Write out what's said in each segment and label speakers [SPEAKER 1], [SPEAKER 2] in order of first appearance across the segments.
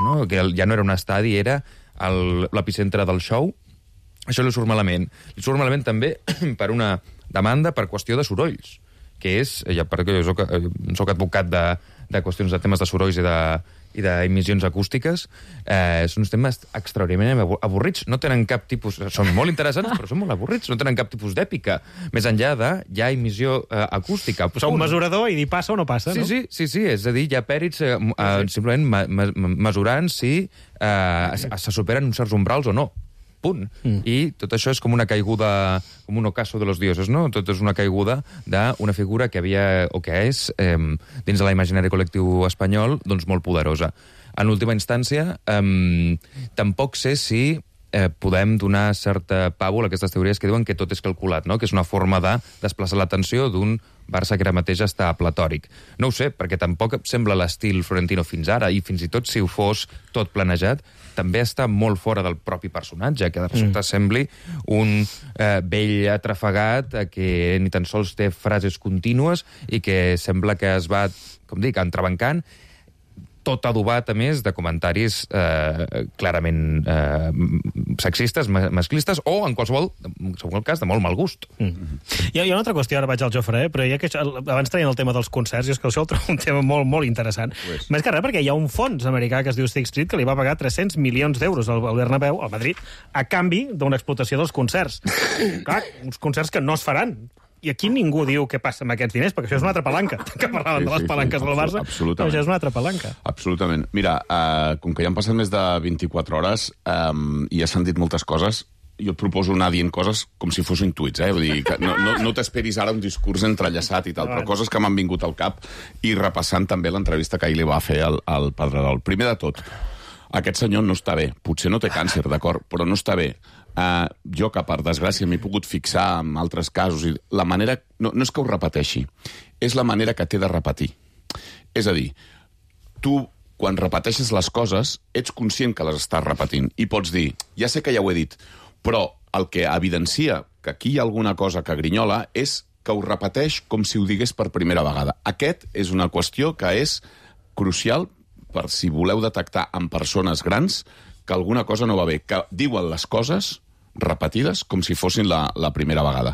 [SPEAKER 1] no? Que ja no era un estadi, era l'epicentre del show. Això li surt malament. Li surt malament també per una demanda per qüestió de sorolls, que és, ja perquè jo soc advocat de qüestions de temes de sorolls i d'emissions acústiques, són uns temes extraordinàriament avorrits. No tenen cap tipus... Són molt interessants, però són molt avorrits. No tenen cap tipus d'èpica. Més enllà de ja emissió acústica.
[SPEAKER 2] Posar un mesurador i dir passa o no passa, no?
[SPEAKER 1] Sí. És a dir, hi ha pèrits simplement mesurant si se superen uns certs umbrals o no. Punt. I tot això és com una caiguda, com un ocaso de los dioses, no? Tot és una caiguda d'una figura que havia, o que és, dins de l'imaginari col·lectiu espanyol, doncs molt poderosa. En última instància, tampoc sé si podem donar certa pàbul a aquestes teories que diuen que tot és calculat, no? Que és una forma de desplaçar l'atenció d'un Barça que ara mateix està platòric. No ho sé, perquè tampoc sembla l'estil Florentino fins ara, i fins i tot si ho fos tot planejat, també està molt fora del propi personatge, que de resulta sembli un vell atrafegat que ni tan sols té frases contínues i que sembla que es va, com dic, entrebancant, tot adobat, a més, de comentaris clarament sexistes, masclistes, o, en qualsevol cas, de molt mal gust.
[SPEAKER 2] Hi ha una altra qüestió, ara vaig al Jofre, però ja que abans traient el tema dels concerts, i és que això el trobo un tema molt, molt interessant. Més que res, perquè hi ha un fons americà que es diu Sixth Street que li va pagar 300 milions d'euros al Bernabéu, al Madrid, a canvi d'una explotació dels concerts. Clar, uns concerts que no es faran. I aquí ningú diu què passa amb aquests diners, perquè això és una altra palanca. Que parlaven de les palanques del Barça, però això és una altra palanca.
[SPEAKER 3] Absolutament. Mira, com que ja han passat més de 24 hores i ja s'han dit moltes coses, jo et proposo anar dient coses com si fossin tuits, Vull dir, que no t'esperis ara un discurs entrellaçat i tal, però coses que m'han vingut al cap i repassant també l'entrevista que ahir li va fer al Pedrerol. Primer de tot, aquest senyor no està bé. Potser no té càncer, d'acord, però no està bé. Jo, que per desgràcia m'he pogut fixar en altres casos, i la manera... No és que ho repeteixi, és la manera que té de repetir. És a dir, tu, quan repeteixes les coses, ets conscient que les estàs repetint, i pots dir, ja sé que ja ho he dit, però el que evidencia que aquí hi ha alguna cosa que grinyola és que ho repeteix com si ho digués per primera vegada. Aquest és una qüestió que és crucial per si voleu detectar en persones grans que alguna cosa no va bé, que diuen les coses repetides com si fossin la primera vegada.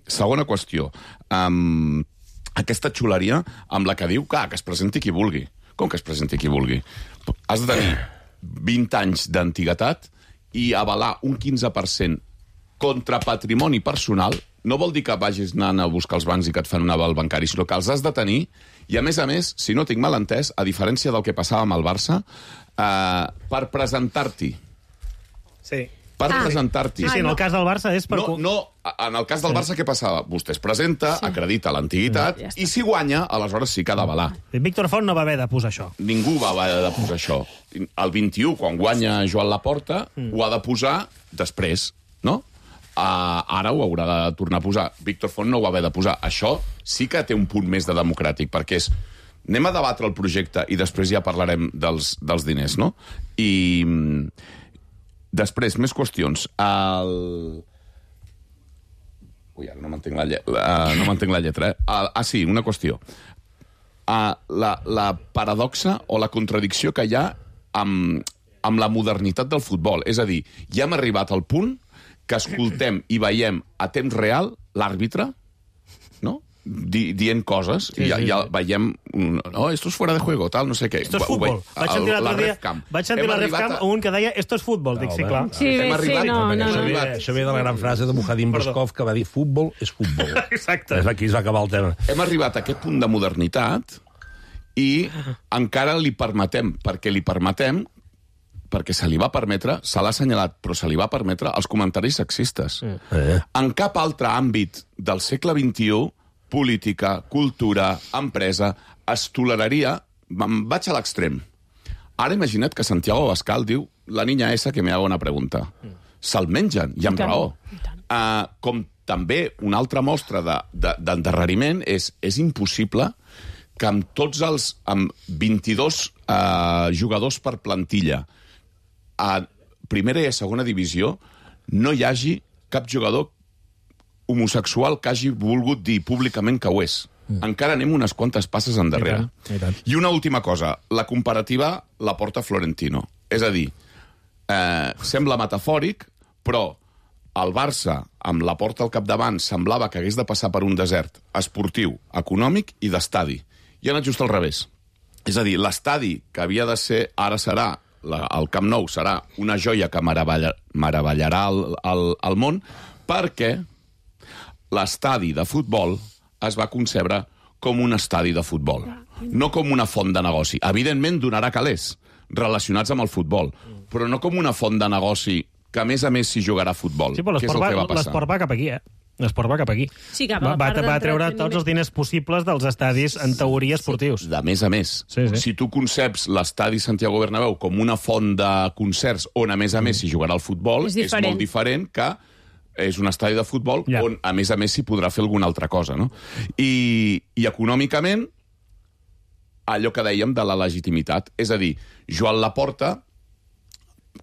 [SPEAKER 3] Segona qüestió. Aquesta xuleria amb la que diu que es presenti qui vulgui. Com que es presenti qui vulgui? Has de tenir 20 anys d'antiguitat i avalar un 15% contra patrimoni personal. No vol dir que vagis anant a buscar els bancs i que et fan un aval bancari, sinó que els has de tenir. I, a més, si no tinc mal entès, a diferència del que passava amb el Barça, per presentar-t'hi.
[SPEAKER 2] Sí.
[SPEAKER 3] Per presentar-t'hi.
[SPEAKER 2] Sí, en el cas del Barça és per...
[SPEAKER 3] No, en el cas del Barça què passava? Vostè es presenta, acredita l'antiguitat, i si guanya, aleshores sí que ha d'avalar.
[SPEAKER 2] Víctor Font no va haver de posar això.
[SPEAKER 3] Ningú va haver de posar això. El 21, quan guanya Joan Laporta, ho ha de posar després, no? Ara ho haurà de tornar a posar. Víctor Font no ho va haver de posar. Això sí que té un punt més de democràtic, perquè és... Anem a debatre el projecte i després ja parlarem dels diners, no? I després, més qüestions. Ui, ara no m'entenc la lletra, sí, una qüestió. La paradoxa o la contradicció que hi ha amb la modernitat del futbol. És a dir, ja hem arribat al punt que escoltem i veiem a temps real l'àrbitre, no?, dient coses, i ja veiem esto es fuera de juego, tal, no sé què.
[SPEAKER 2] Esto es futbol. Vaig sentir l'altre dia, la RefCam, un que deia esto es futbol. Dic, sí, clar.
[SPEAKER 4] Això ve de la gran frase de Mujadim Boskov, que va dir futbol és futbol.
[SPEAKER 2] Exacte.
[SPEAKER 4] Aquí es va acabar el tema.
[SPEAKER 3] Hem arribat a aquest punt de modernitat i encara li permetem, perquè se li va permetre, se l'ha assenyalat, però se li va permetre els comentaris sexistes. En cap altre àmbit del segle XXI, política, cultura, empresa, es toleraria... Vaig a l'extrem. Ara imagina't que Santiago Abascal diu la niña esa que me haga una pregunta. Se'l mengen, i amb raó. Com també una altra mostra d'endarreriment és impossible que amb tots els... amb 22 jugadors per plantilla a primera i a segona divisió no hi hagi cap jugador homosexual que hagi volgut dir públicament que ho és. encara anem unes quantes passes endarrere.
[SPEAKER 2] I tant.
[SPEAKER 3] I una última cosa, la comparativa la porta Florentino. És a dir, sembla metafòric, però el Barça, amb la porta al capdavant, semblava que hagués de passar per un desert esportiu, econòmic i d'estadi. I ha anat just al revés. És a dir, l'estadi que havia de ser, ara serà, el Camp Nou serà una joia que meravellarà el món, perquè l'estadi de futbol es va concebre com un estadi de futbol, no com una font de negoci. Evidentment donarà calés relacionats amb el futbol, però no com una font de negoci que, a més s'hi jugarà a futbol.
[SPEAKER 2] Sí, però
[SPEAKER 3] que és el que va passar.
[SPEAKER 2] l'esport va cap aquí, L'esport va cap aquí.
[SPEAKER 5] Sí, cap a la part
[SPEAKER 2] va treure tots els diners possibles dels estadis, en teoria, esportius.
[SPEAKER 3] De més a més.
[SPEAKER 2] Sí.
[SPEAKER 3] Si tu conceps l'estadi Santiago Bernabéu com una font de concerts on, a més s'hi jugarà el futbol, és molt diferent que és un estadi de futbol on, a més s'hi podrà fer alguna altra cosa, no? I econòmicament, allò que dèiem de la legitimitat. És a dir, Joan Laporta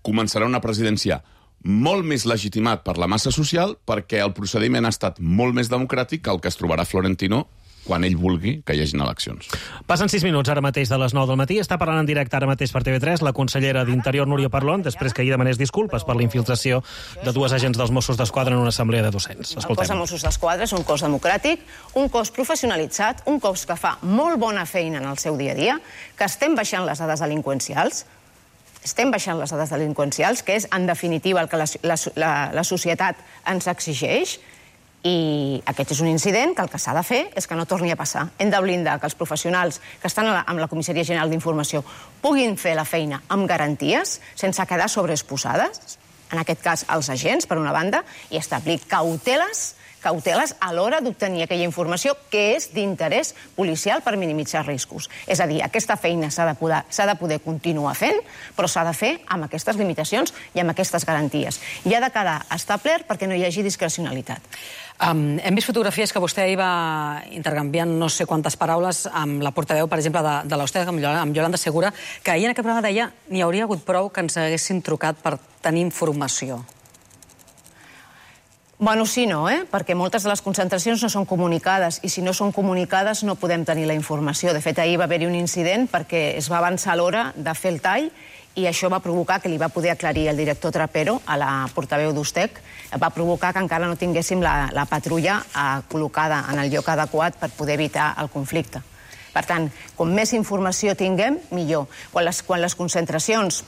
[SPEAKER 3] començarà una presidència molt més legitimat per la massa social perquè el procediment ha estat molt més democràtic que el que es trobarà Florentino quan ell vulgui que hi hagin eleccions.
[SPEAKER 2] Passen 6 minuts ara mateix de les 9 del matí. Està parlant en directe ara mateix per TV3 la consellera d'Interior, Núria Parlon, després que ahir demanés disculpes per la infiltració de 2 agents dels Mossos d'Esquadra en una assemblea de docents.
[SPEAKER 6] El cos de Mossos d'Esquadra és un cos democràtic, un cos professionalitzat, un cos que fa molt bona feina en el seu dia a dia, que estem baixant les dades delinqüencials, que és, en definitiva, el que la societat ens exigeix, i aquest és un incident que el que s'ha de fer és que no torni a passar. Hem de blindar que els professionals que estan amb la Comissaria General d'Informació puguin fer la feina amb garanties, sense quedar sobreexposades, en aquest cas els agents, per una banda, i establir cauteles a l'hora d'obtenir aquella informació que és d'interès policial per minimitzar riscos. És a dir, aquesta feina s'ha de poder continuar fent, però s'ha de fer amb aquestes limitacions i amb aquestes garanties. I ha de quedar establert perquè no hi hagi discrecionalitat.
[SPEAKER 5] Hem vist fotografies que vostè va intercanviant no sé quantes paraules amb la portaveu, per exemple, de l'Austec, amb Yolanda Segura, que ahir en aquest programa deia n'hi hauria hagut prou que ens haguessin trucat per tenir informació.
[SPEAKER 6] Bueno, sí, no, perquè moltes de les concentracions no són comunicades, i si no són comunicades no podem tenir la informació. De fet, ahir va haver-hi un incident perquè es va avançar l'hora de fer el tall i això va provocar que li va poder aclarir el director Trapero a la portaveu d'Ustec, va provocar que encara no tinguéssim la patrulla col·locada en el lloc adequat per poder evitar el conflicte. Per tant, com més informació tinguem, millor. Quan les concentracions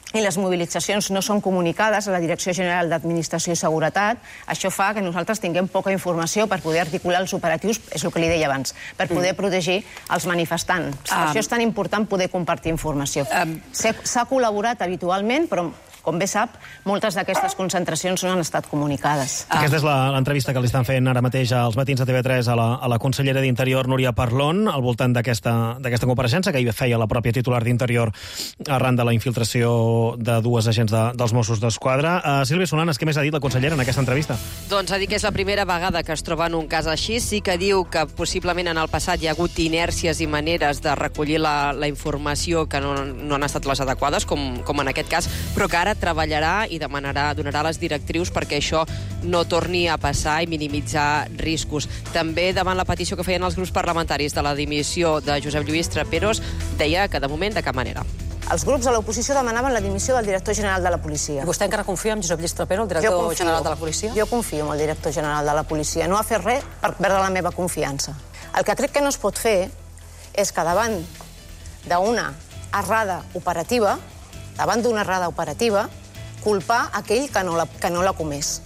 [SPEAKER 6] i les mobilitzacions no són comunicades a la Direcció General d'Administració i Seguretat, això fa que nosaltres tinguem poca informació per poder articular els operatius, és el que li deia abans, per poder protegir els manifestants. Per això és tan important poder compartir informació. S'ha col·laborat habitualment, però com bé sap, moltes d'aquestes concentracions no han estat comunicades.
[SPEAKER 2] Aquesta és l'entrevista que li estan fent ara mateix als matins de TV3 a la consellera d'Interior, Núria Parlon, al voltant d'aquesta compareixença que hi feia la pròpia titular d'Interior arran de la infiltració de 2 agents dels Mossos d'Esquadra. Sílvia Solanes, què més ha dit la consellera en aquesta entrevista?
[SPEAKER 7] Doncs ha dit que és la primera vegada que es troba en un cas així. Sí que diu que possiblement en el passat hi ha hagut inèrcies i maneres de recollir la informació que no han estat les adequades, com en aquest cas, però que ara treballarà i donarà les directrius perquè això no torni a passar i minimitzar riscos. També davant la petició que feien els grups parlamentaris de la dimissió de Josep Lluís Traperos, deia que de moment de cap manera.
[SPEAKER 6] Els grups de l'oposició demanaven la dimissió del director general de la policia.
[SPEAKER 5] Vostè encara confia en Josep Lluís Trapero, el director general de la policia?
[SPEAKER 6] Jo confio en el director general de la policia. No ha fet res per perdre la meva confiança. El que crec que no es pot fer és que davant d'una errada operativa, culpar aquell que no l'ha comès.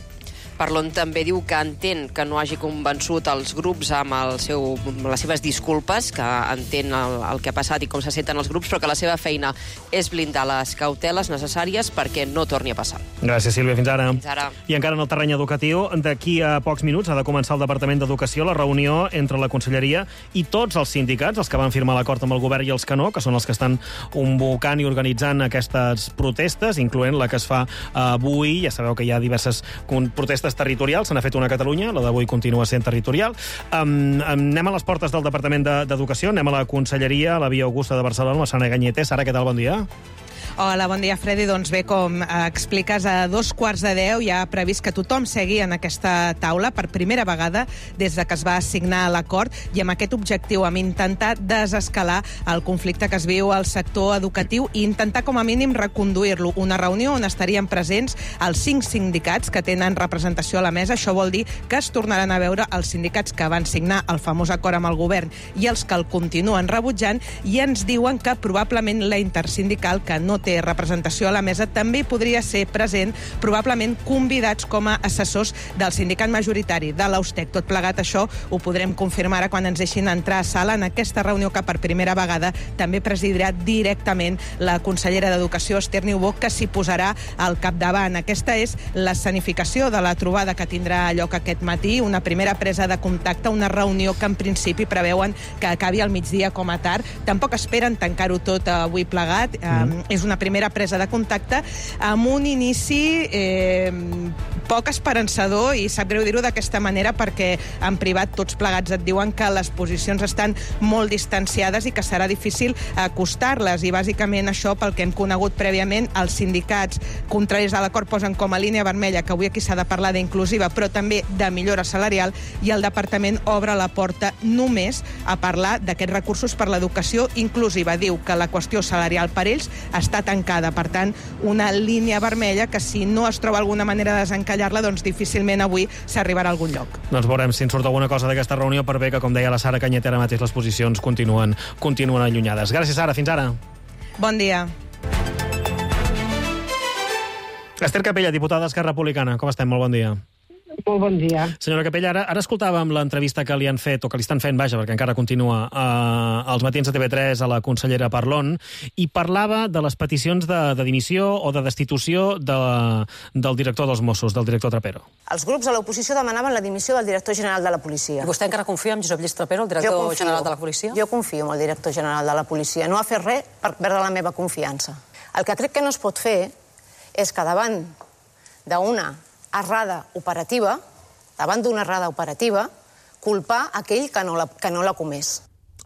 [SPEAKER 7] Parlon també diu que entén que no hagi convençut els grups amb les seves disculpes, que entén el que ha passat i com se senten els grups, però que la seva feina és blindar les cauteles necessàries perquè no torni a passar.
[SPEAKER 2] Gràcies, Sílvia. Fins ara.
[SPEAKER 7] Fins ara.
[SPEAKER 2] I encara en el terreny educatiu, d'aquí a pocs minuts ha de començar el Departament d'Educació la reunió entre la Conselleria i tots els sindicats, els que van firmar l'acord amb el govern i els que no, que són els que estan convocant i organitzant aquestes protestes, incloent la que es fa avui. Ja sabeu que hi ha diverses protestes territorials, se n'ha fet una a Catalunya, la d'avui continua sent territorial. Anem a les portes del Departament d'Educació, anem a la Conselleria, a la Via Augusta de Barcelona, a Sara Ganyete. Sara, què tal? Bon dia.
[SPEAKER 8] Hola, bon dia, Freddy. Doncs bé, com expliques, a 9:15 hi ha previst que tothom segui en aquesta taula per primera vegada des de que es va signar l'acord, i amb aquest objectiu, amb intentar desescalar el conflicte que es viu al sector educatiu i intentar com a mínim reconduir-lo. Una reunió on estarien presents els 5 sindicats que tenen representació a la mesa. Això vol dir que es tornaran a veure els sindicats que van signar el famós acord amb el govern i els que el continuen rebutjant, i ens diuen que probablement la intersindical, que no té representació a la mesa, també podria ser present, probablement convidats com a assessors del sindicat majoritari de l'Austec. Tot plegat, això ho podrem confirmar ara quan ens deixin entrar a sala en aquesta reunió que per primera vegada també presidirà directament la consellera d'Educació, Esther Niubó, que s'hi posarà al capdavant. Aquesta és l'escenificació de la trobada que tindrà lloc aquest matí, una primera presa de contacte, una reunió que en principi preveuen que acabi al migdia com a tard. Tampoc esperen tancar-ho tot avui plegat. És una primera presa de contacte amb un inici poc esperançador, i sap greu dir-ho d'aquesta manera perquè en privat tots plegats et diuen que les posicions estan molt distanciades i que serà difícil acostar-les, i bàsicament això pel que hem conegut prèviament. Els sindicats contraris a l'acord posen com a línia vermella que avui aquí s'ha de parlar d'inclusiva però també de millora salarial, i el departament obre la porta només a parlar d'aquests recursos per l'educació inclusiva. Diu que la qüestió salarial per ells està tancada, per tant, una línia vermella que si no es troba alguna manera de desencallar-la, doncs difícilment avui s'arribarà a algun lloc.
[SPEAKER 2] Doncs veurem si en surt alguna cosa d'aquesta reunió, per bé que, com deia la Sara Canyet, ara mateix les posicions continuen allunyades. Gràcies, Sara. Fins ara.
[SPEAKER 8] Bon dia.
[SPEAKER 2] Esther Capella, diputada d'Esquerra Republicana. Com estem? Molt bon dia.
[SPEAKER 9] Molt bon dia.
[SPEAKER 2] Senyora Capella, ara escoltàvem l'entrevista que li han fet, o que li estan fent, vaja, perquè encara continua, als matins de TV3 a la consellera Parlon, i parlava de les peticions de dimissió o de destitució del director dels Mossos, del director Trapero.
[SPEAKER 6] Els grups de l'oposició demanaven la dimissió del director general de la policia.
[SPEAKER 5] I vostè encara confia en Josep Lluís Trapero, el director general de la policia?
[SPEAKER 6] Jo confio en el director general de la policia. No ha fet res per perdre la meva confiança. El que crec que no es pot fer és que davant d'una errada operativa, culpar aquell que no l'ha comès.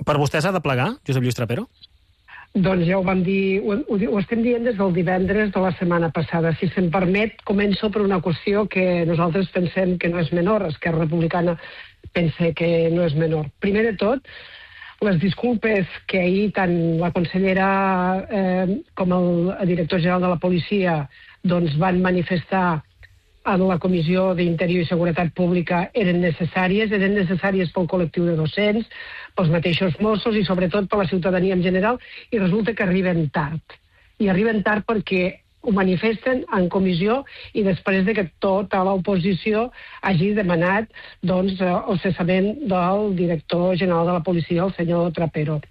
[SPEAKER 2] Per vostè s'ha de plegar, Josep Lluís Trapero?
[SPEAKER 9] Doncs ja ho vam dir, ho estem dient des del divendres de la setmana passada. Si se'm permet, començo per una qüestió que nosaltres pensem que no és menor, Esquerra Republicana pensa que no és menor. Primer de tot, les disculpes que ahir tant la consellera com el director general de la policia doncs van manifestar en la Comissió d'Interior i Seguretat Pública eren necessàries pel col·lectiu de docents, pels mateixos Mossos i sobretot per la ciutadania en general, i resulta que arriben tard. I arriben tard perquè ho manifesten en comissió i després de que tota l'oposició hagi demanat el cessament del director general de la policia, el senyor Trapero.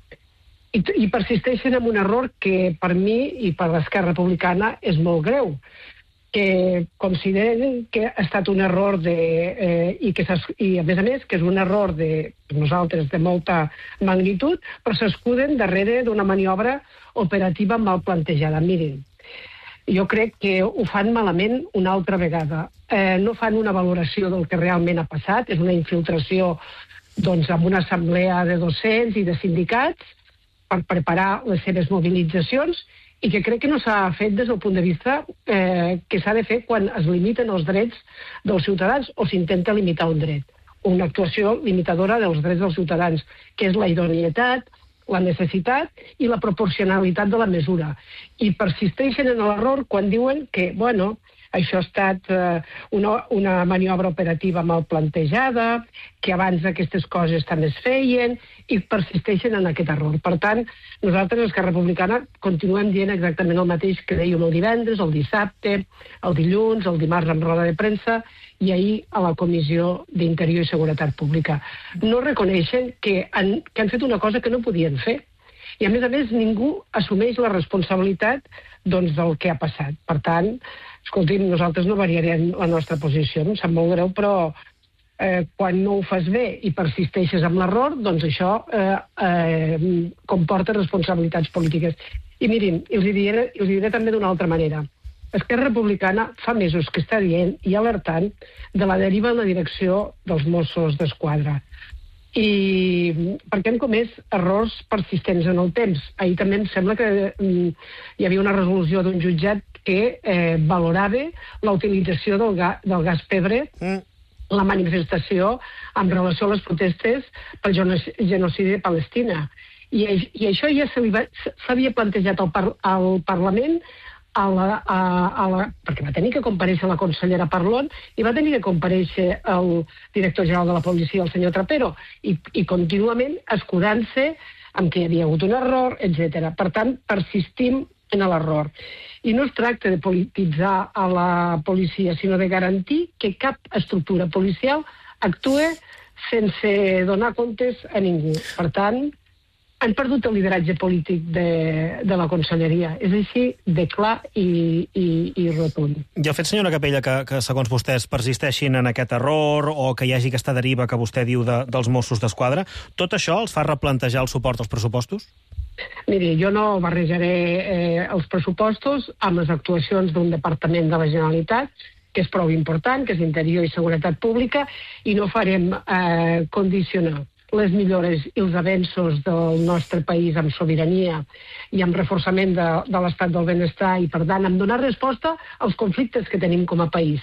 [SPEAKER 9] I persisteixen en un error que per mi i per l'Esquerra Republicana és molt greu, que consideren que ha estat un error i a més que és un error de nosaltres de molta magnitud, però s'escuden darrere d'una maniobra operativa mal plantejada. Mirin, jo crec que ho fan malament una altra vegada. No fan una valoració del que realment ha passat, és una infiltració amb una assemblea de docents i de sindicats per preparar les seves mobilitzacions, i que crec que no s'ha fet des del punt de vista que s'ha de fer quan es limiten els drets dels ciutadans o s'intenta limitar un dret. Una actuació limitadora dels drets dels ciutadans, que és la idoneïtat, la necessitat i la proporcionalitat de la mesura. I persisteixen en l'error quan diuen que, això ha estat una maniobra operativa mal plantejada, que abans aquestes coses també es feien, i persisteixen en aquest error. Per tant, nosaltres, Esquerra Republicana, continuem dient exactament el mateix que dèiem el divendres, el dissabte, el dilluns, el dimarts en roda de premsa i ahir a la Comissió d'Interior i Seguretat Pública. No reconeixen que han fet una cosa que no podien fer. I, a més, ningú assumeix la responsabilitat del que ha passat. Per tant, escolti'm, nosaltres no variarem la nostra posició, em sap molt greu, però quan no ho fas bé i persisteixes amb l'error, doncs això comporta responsabilitats polítiques. I mirin, els diré també d'una altra manera. Esquerra Republicana fa mesos que està dient i alertant de la deriva en la direcció dels Mossos d'Esquadra. i perquè han comès errors persistents en el temps. Ahir també em sembla que hi havia una resolució d'un jutjat que valorava la utilització del gas pebre, la manifestació en relació a les protestes pel genocidi de Palestina. I això ja s'havia plantejat al Parlament, perquè va tenir que comparèixer la consellera Parlon i va tenir que comparèixer el director general de la policia, el senyor Trapero, i contínuament escudant-se amb que hi havia hagut un error, etc. Per tant, persistim en l'error. I no es tracta de polititzar a la policia, sinó de garantir que cap estructura policial actue sense donar comptes a ningú. Per tant, han perdut el lideratge polític de la conselleria. És així de clar i rotund.
[SPEAKER 2] I el fet, senyora Capella, que segons vostès persisteixin en aquest error o que hi hagi aquesta deriva que vostè diu dels Mossos d'Esquadra, tot això els fa replantejar el suport als pressupostos?
[SPEAKER 9] Miri, jo no barrejaré els pressupostos amb les actuacions d'un departament de la Generalitat, que és prou important, que és Interior i Seguretat Pública, i no farem condicionar les millores i els avenços del nostre país amb sobirania i amb reforçament de l'estat del benestar i, per tant, amb donar resposta als conflictes que tenim com a país.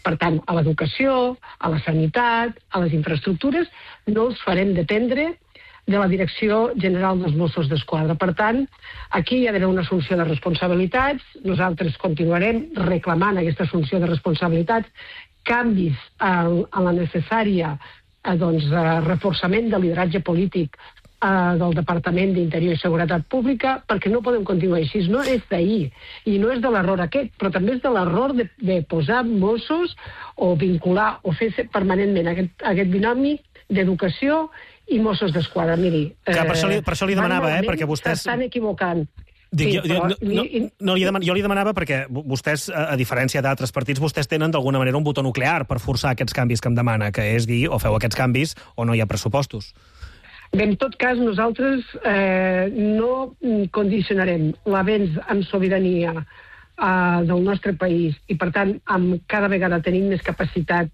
[SPEAKER 9] Per tant, a l'educació, a la sanitat, a les infraestructures, no els farem dependre de la Direcció General dels Mossos d'Esquadra. Per tant, aquí hi ha d'haver una assumpció de responsabilitats. Nosaltres continuarem reclamant aquesta assumpció de responsabilitats, canvis en la necessària reforçament del lideratge polític del Departament d'Interior i Seguretat Pública, perquè no podem continuar així. No és d'ahir, i no és de l'error aquest, però també és de l'error de posar Mossos o vincular o fer permanentment aquest binomi d'educació i Mossos d'Esquadra. Miri,
[SPEAKER 2] per això li demanava, perquè vostès
[SPEAKER 9] s'estan equivocant.
[SPEAKER 2] Jo li demanava perquè vostès, a diferència d'altres partits, vostès tenen d'alguna manera un botó nuclear per forçar aquests canvis que em demana, que és dir o feu aquests canvis o no hi ha pressupostos.
[SPEAKER 9] Bé, en tot cas, nosaltres no condicionarem l'avenç en sobirania del nostre país i, per tant, cada vegada tenim més capacitat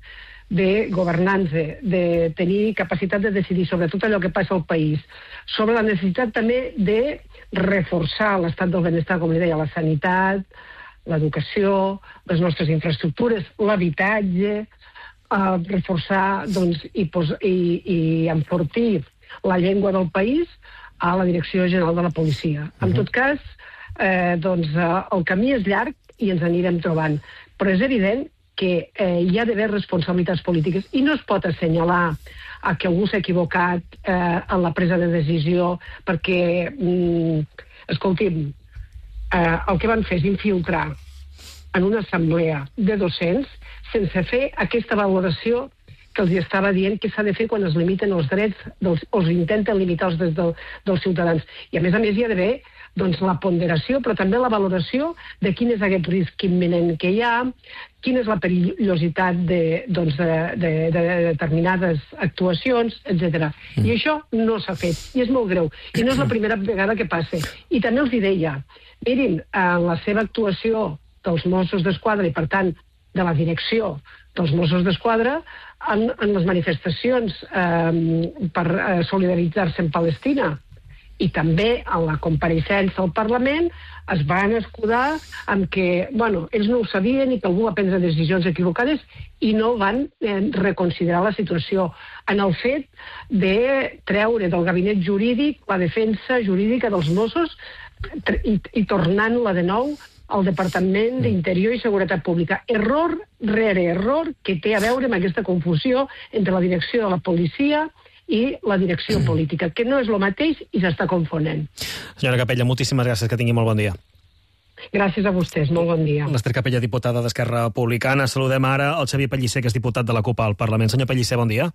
[SPEAKER 9] de governança, de tenir capacitat de decidir sobre tot allò que passa al país, sobre la necessitat també de reforçar l'estat del benestar, com li deia, la sanitat, l'educació, les nostres infraestructures, l'habitatge, reforçar i enfortir la llengua del país a la Direcció General de la Policia. En tot cas, el camí és llarg i ens anirem trobant, però és evident que hi ha d'haver responsabilitats polítiques i no es pot assenyalar que algú s'ha equivocat en la presa de decisió perquè, escolti'm, el que van fer és infiltrar en una assemblea de docents sense fer aquesta valoració que els estava dient que s'ha de fer quan es limiten els drets o es intenten limitar els drets dels ciutadans. I a més hi ha d'haver la ponderació, però també la valoració de quin és aquest risc imminent que hi ha, quina és la perillositat de determinades actuacions, etc. I això no s'ha fet, i és molt greu. I no és la primera vegada que passa. I també els deia, mirin, en la seva actuació dels Mossos d'Esquadra i, per tant, de la direcció dels Mossos d'Esquadra, en les manifestacions per solidaritzar-se amb Palestina i també en la compareixença al Parlament es van escudar amb que, ells no ho sabien i que algú va prendre decisions equivocades i no van reconsiderar la situació en el fet de treure del gabinet jurídic la defensa jurídica dels Mossos i tornant-la de nou al Departament d'Interior i Seguretat Pública. Error rere error que té a veure amb aquesta confusió entre la direcció de la policia i la direcció política, que no és el mateix i s'està confonent.
[SPEAKER 2] Senyora Capella, moltíssimes gràcies, que tingui molt bon dia.
[SPEAKER 9] Gràcies a vostès, molt bon dia.
[SPEAKER 2] L'Ester Capella, diputada d'Esquerra Republicana. Saludem ara el Xavier Pellicer, que és diputat de la CUP al Parlament. Senyor Pellicer, bon dia.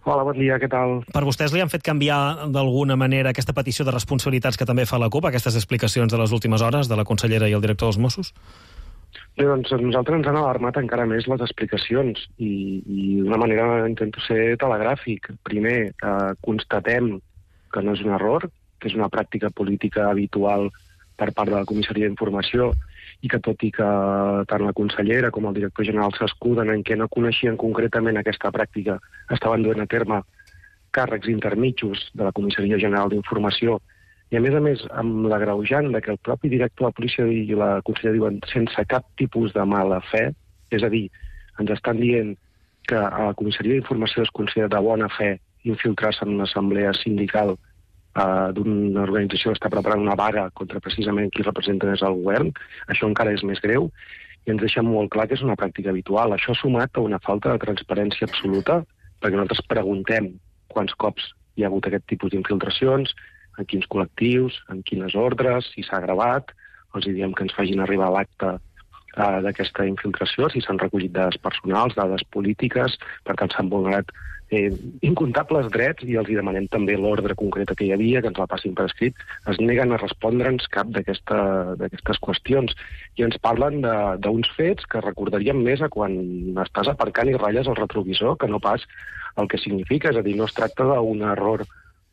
[SPEAKER 10] Hola, bon dia, què tal?
[SPEAKER 2] Per vostès li han fet canviar d'alguna manera aquesta petició de responsabilitats que també fa la CUP, aquestes explicacions de les últimes hores de la consellera i el director dels Mossos?
[SPEAKER 10] Bé, doncs nosaltres ens han alarmat encara més les explicacions i d'una manera intento ser telegràfic. Primer, constatem que no és un error, que és una pràctica política habitual per part de la Comissaria d'Informació i que tot i que tant la consellera com el director general s'escuden en què no coneixien concretament aquesta pràctica, estaven duent a terme càrrecs intermitjos de la Comissaria General d'Informació, i a més, amb l'agreujant que el propi director de la policia i la consellera diuen sense cap tipus de mala fe, és a dir, ens estan dient que a la Comissaria d'Informació es considera de bona fe infiltrar-se en una assemblea sindical d'una organització que està preparant una vaga contra precisament qui representa des del govern. Això encara és més greu i ens deixa molt clar que és una pràctica habitual. Això sumat a una falta de transparència absoluta, perquè nosaltres preguntem quants cops hi ha hagut aquest tipus d'infiltracions, en quins col·lectius, en quines ordres, si s'ha gravat, els diem que ens facin arribar l'acte d'aquesta infiltració, si s'han recollit dades personals, dades polítiques, per tant s'han vulnerat incomptables drets i els demanem també l'ordre concreta que hi havia, que ens la passin per escrit. Es neguen a respondre'ns cap d'aquestes qüestions i ens parlen d'uns fets que recordaríem més a quan estàs aparcant i ratlles el retrovisor que no pas el que significa, és a dir, no es tracta d'un error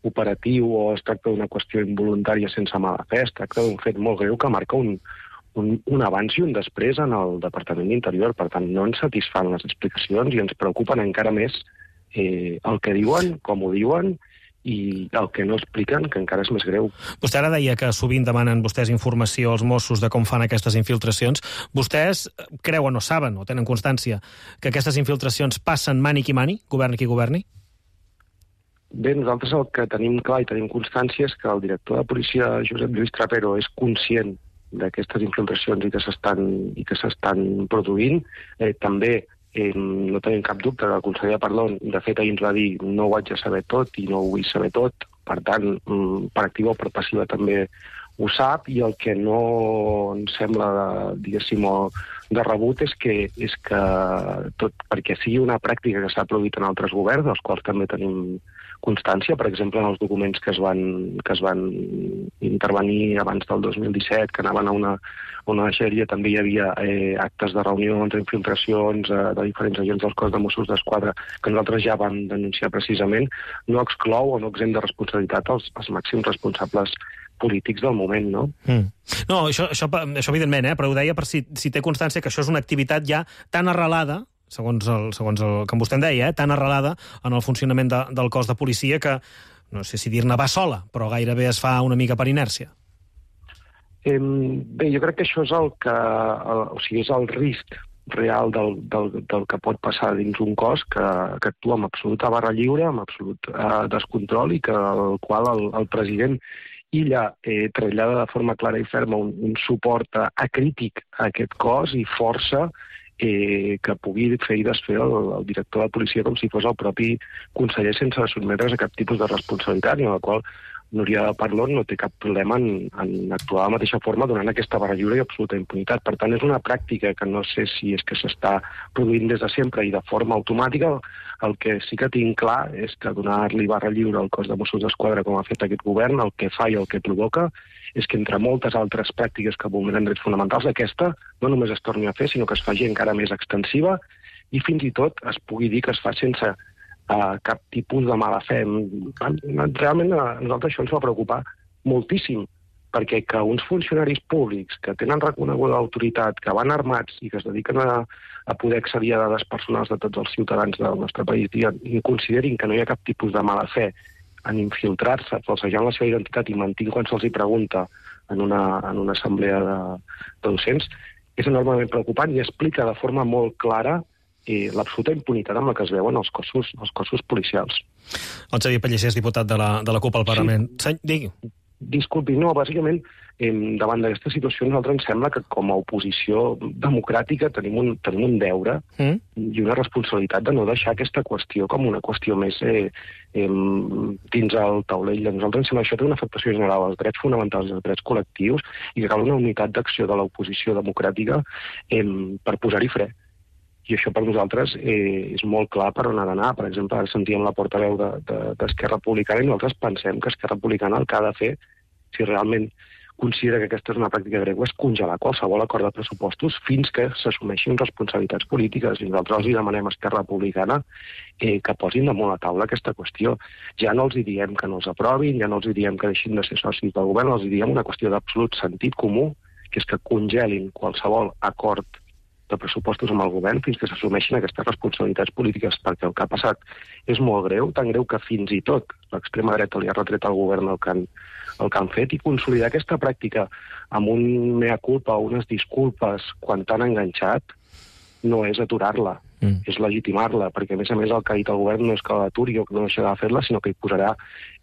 [SPEAKER 10] operatiu o es tracta d'una qüestió involuntària sense mala fe, es tracta d'un fet molt greu que marca un abans i un després en el Departament d'Interior. Per tant, no ens satisfan les explicacions i ens preocupen encara més el que diuen, com ho diuen, i el que no expliquen, que encara és més greu.
[SPEAKER 2] Vostè ara deia que sovint demanen vostès informació als Mossos de com fan aquestes infiltracions. Vostès creuen o saben o tenen constància que aquestes infiltracions passen mani qui mani, governi qui governi?
[SPEAKER 10] Bé, nosaltres el que tenim clar i tenim constància és que el director de policia, Josep Lluís Trapero, és conscient d'aquestes infiltracions i que s'estan produint. També no tenim cap dubte que el conseller Parlon, de fet, ahir ens va dir no ho haig de saber tot i no ho vull saber tot. Per tant, per activa o per passiva també ho sap, i el que no ens sembla, diguéssim, de rebut és que tot perquè sigui una pràctica que s'ha produït en altres governs, dels quals també tenim constància, per exemple, en els documents que es van intervenir abans del 2017, que anaven a una deixalleria, també hi havia actes de reunions, infiltracions de diferents agents del cos de Mossos d'Esquadra, que nosaltres ja vam denunciar precisament, no exclou o no exempt de responsabilitat els màxims responsables polítics del moment, no?
[SPEAKER 2] No, això evidentment, però ho deia per si té constància que això és una activitat ja tan arrelada, segons el que vostè em deia, tan arrelada en el funcionament del cos de policia que, no sé si dir-ne va sola, però gairebé es fa una mica per inèrcia.
[SPEAKER 10] Bé, jo crec que això és és el risc real del que pot passar dins un cos que actua amb absoluta barra lliure, amb absolut descontrol, i el qual el president Illa trasllada de forma clara i ferma un suport acrític a aquest cos i força que pugui fer i desfer el director de policia com si fos el propi conseller sense sotmetre's a cap tipus de responsabilitat, i en la qual Núria Parlon no té cap problema en actuar de la mateixa forma donant aquesta barra lliure i absoluta impunitat. Per tant, és una pràctica que no sé si és que s'està produint des de sempre i de forma automàtica. El que sí que tinc clar és que donar-li barra lliure al cos de Mossos d'Esquadra, com ha fet aquest govern, el que fa i el que provoca és que entre moltes altres pràctiques que vulneren drets fonamentals, aquesta no només es torni a fer, sinó que es faci encara més extensiva i fins i tot es pugui dir que es fa sense cap tipus de mala fe. Realment a nosaltres això ens va preocupar moltíssim, perquè que uns funcionaris públics que tenen reconeguda autoritat, que van armats i que es dediquen a poder accedir a dades personals de tots els ciutadans del nostre país i considerin que no hi ha cap tipus de mala fe en infiltrar-se, falsejant la seva identitat i mentint quan se'ls pregunta en una assemblea de docents, és enormement preocupant i explica de forma molt clara l'absoluta impunitat amb la que es veuen els cossos policials.
[SPEAKER 2] El Xavier Pellicer és diputat de la CUP al Parlament. Sí. Digui.
[SPEAKER 10] Disculpi, no, bàsicament, davant d'aquesta situació, a nosaltres ens sembla que com a oposició democràtica tenim un deure i una responsabilitat de no deixar aquesta qüestió com una qüestió més dins el taulell. A nosaltres ens sembla que això té una afectació general als drets fonamentals i als drets col·lectius i que cal una unitat d'acció de l'oposició democràtica per posar-hi fre. I això per nosaltres és molt clar per on ha d'anar. Per exemple, ara sentíem la portaveu d'Esquerra Republicana i nosaltres pensem que Esquerra Republicana el que ha de fer, si realment considera que aquesta és una pràctica greu, és congelar qualsevol acord de pressupostos fins que s'assumeixin responsabilitats polítiques. I nosaltres els demanem a Esquerra Republicana que posin damunt la taula aquesta qüestió. Ja no els diem que no els aprovin, ja no els diem que deixin de ser socis del govern, els diem una qüestió d'absolut sentit comú, que és que congelin qualsevol acord de pressupostos amb el govern fins que s'assumeixin aquestes responsabilitats polítiques, perquè el que ha passat és molt greu, tan greu que fins i tot l'extrema dreta li ha retret al govern el que han fet, i consolidar aquesta pràctica amb un mea culpa o unes disculpes quan t'han enganxat no és aturar-la, és legitimar-la, perquè a més el que ha dit el govern no és que l'aturi o que no deixarà de fer-la, sinó que hi posarà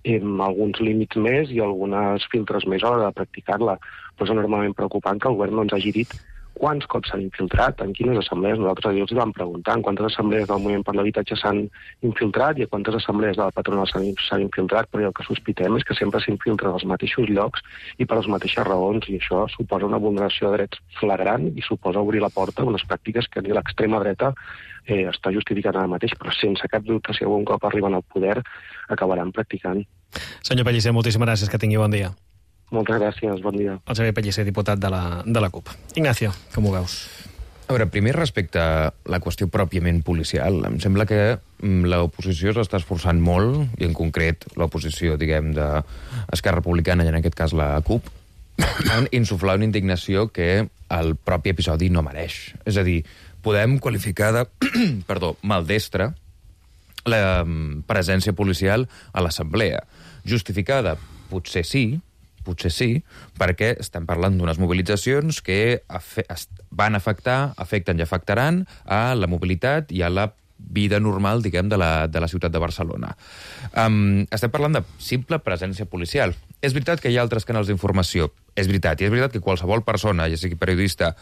[SPEAKER 10] alguns límits més i algunes filtres més a l'hora de practicar-la. Però és enormement preocupant que el govern no ens hagi dit quants cops s'han infiltrat, en quines assemblees. Nosaltres els vam preguntar en quantes assemblees del Moviment per l'Habitatge s'han infiltrat i a quantes assemblees de la patronal s'han infiltrat, però el que sospitem és que sempre s'infiltren als mateixos llocs i per les mateixes raons, i això suposa una vulneració de drets flagrant i suposa obrir la porta a unes pràctiques que ni l'extrema dreta està justificant ara mateix, però sense cap dubte, si algun cop arriben al poder, acabaran practicant.
[SPEAKER 2] Senyor Pellicer, moltíssimes gràcies, que tingui bon dia.
[SPEAKER 10] Moltes gràcies, bon dia.
[SPEAKER 2] El Xavier Pellicer, diputat de la CUP. Ignacio, com ho veus?
[SPEAKER 1] A veure, primer respecte a la qüestió pròpiament policial, em sembla que l'oposició s'està esforçant molt, i en concret l'oposició, diguem, d'Esquerra Republicana, i en aquest cas la CUP, en insuflar una indignació que el propi episodi no mereix. És a dir, podem qualificar de maldestra la presència policial a l'assemblea. Justificada? Potser sí, perquè estem parlant d'unes mobilitzacions que afecten i afectaran a la mobilitat i a la vida normal, diguem, de la ciutat de Barcelona. Estem parlant de simple presència policial. És veritat que hi ha altres canals d'informació. És veritat que qualsevol persona, ja sigui periodista,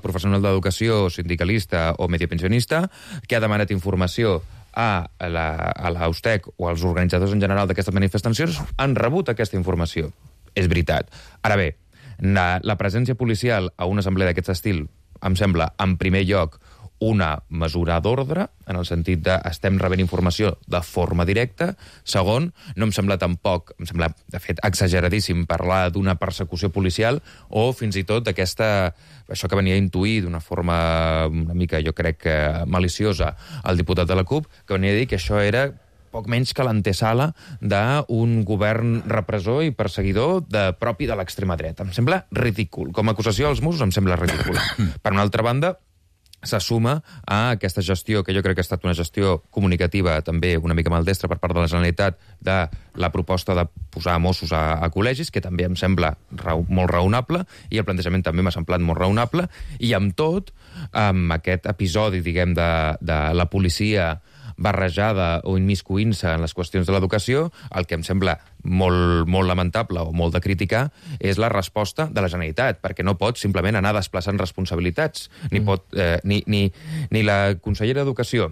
[SPEAKER 1] professional d'educació, sindicalista o mediopensionista, que ha demanat informació a l'Austec o als organitzadors en general d'aquestes manifestacions, han rebut aquesta informació. És veritat. Ara bé, la presència policial a una assemblea d'aquest estil em sembla, en primer lloc, una mesura d'ordre, en el sentit de estem rebent informació de forma directa. Segon, no em sembla tampoc, em sembla, de fet, exageradíssim parlar d'una persecució policial o fins i tot d'aquesta, això que venia a intuir d'una forma una mica, jo crec, maliciosa el diputat de la CUP, que venia a dir que això era poc menys que l'antesala d'un govern repressor i perseguidor propi de l'extrema dreta. Em sembla ridícul. Com a acusació als Mossos em sembla ridícul. Per una altra banda, se suma a aquesta gestió, que jo crec que ha estat una gestió comunicativa també una mica maldestra per part de la Generalitat, de la proposta de posar Mossos a col·legis, que també em sembla molt raonable, i el plantejament també m'ha semblat molt raonable, i amb tot, amb aquest episodi, diguem, de la policia barrejada o immiscuint-se en les qüestions de l'educació, el que em sembla molt lamentable o molt de criticar és la resposta de la Generalitat, perquè no pot simplement anar desplaçant responsabilitats. Ni la consellera d'Educació,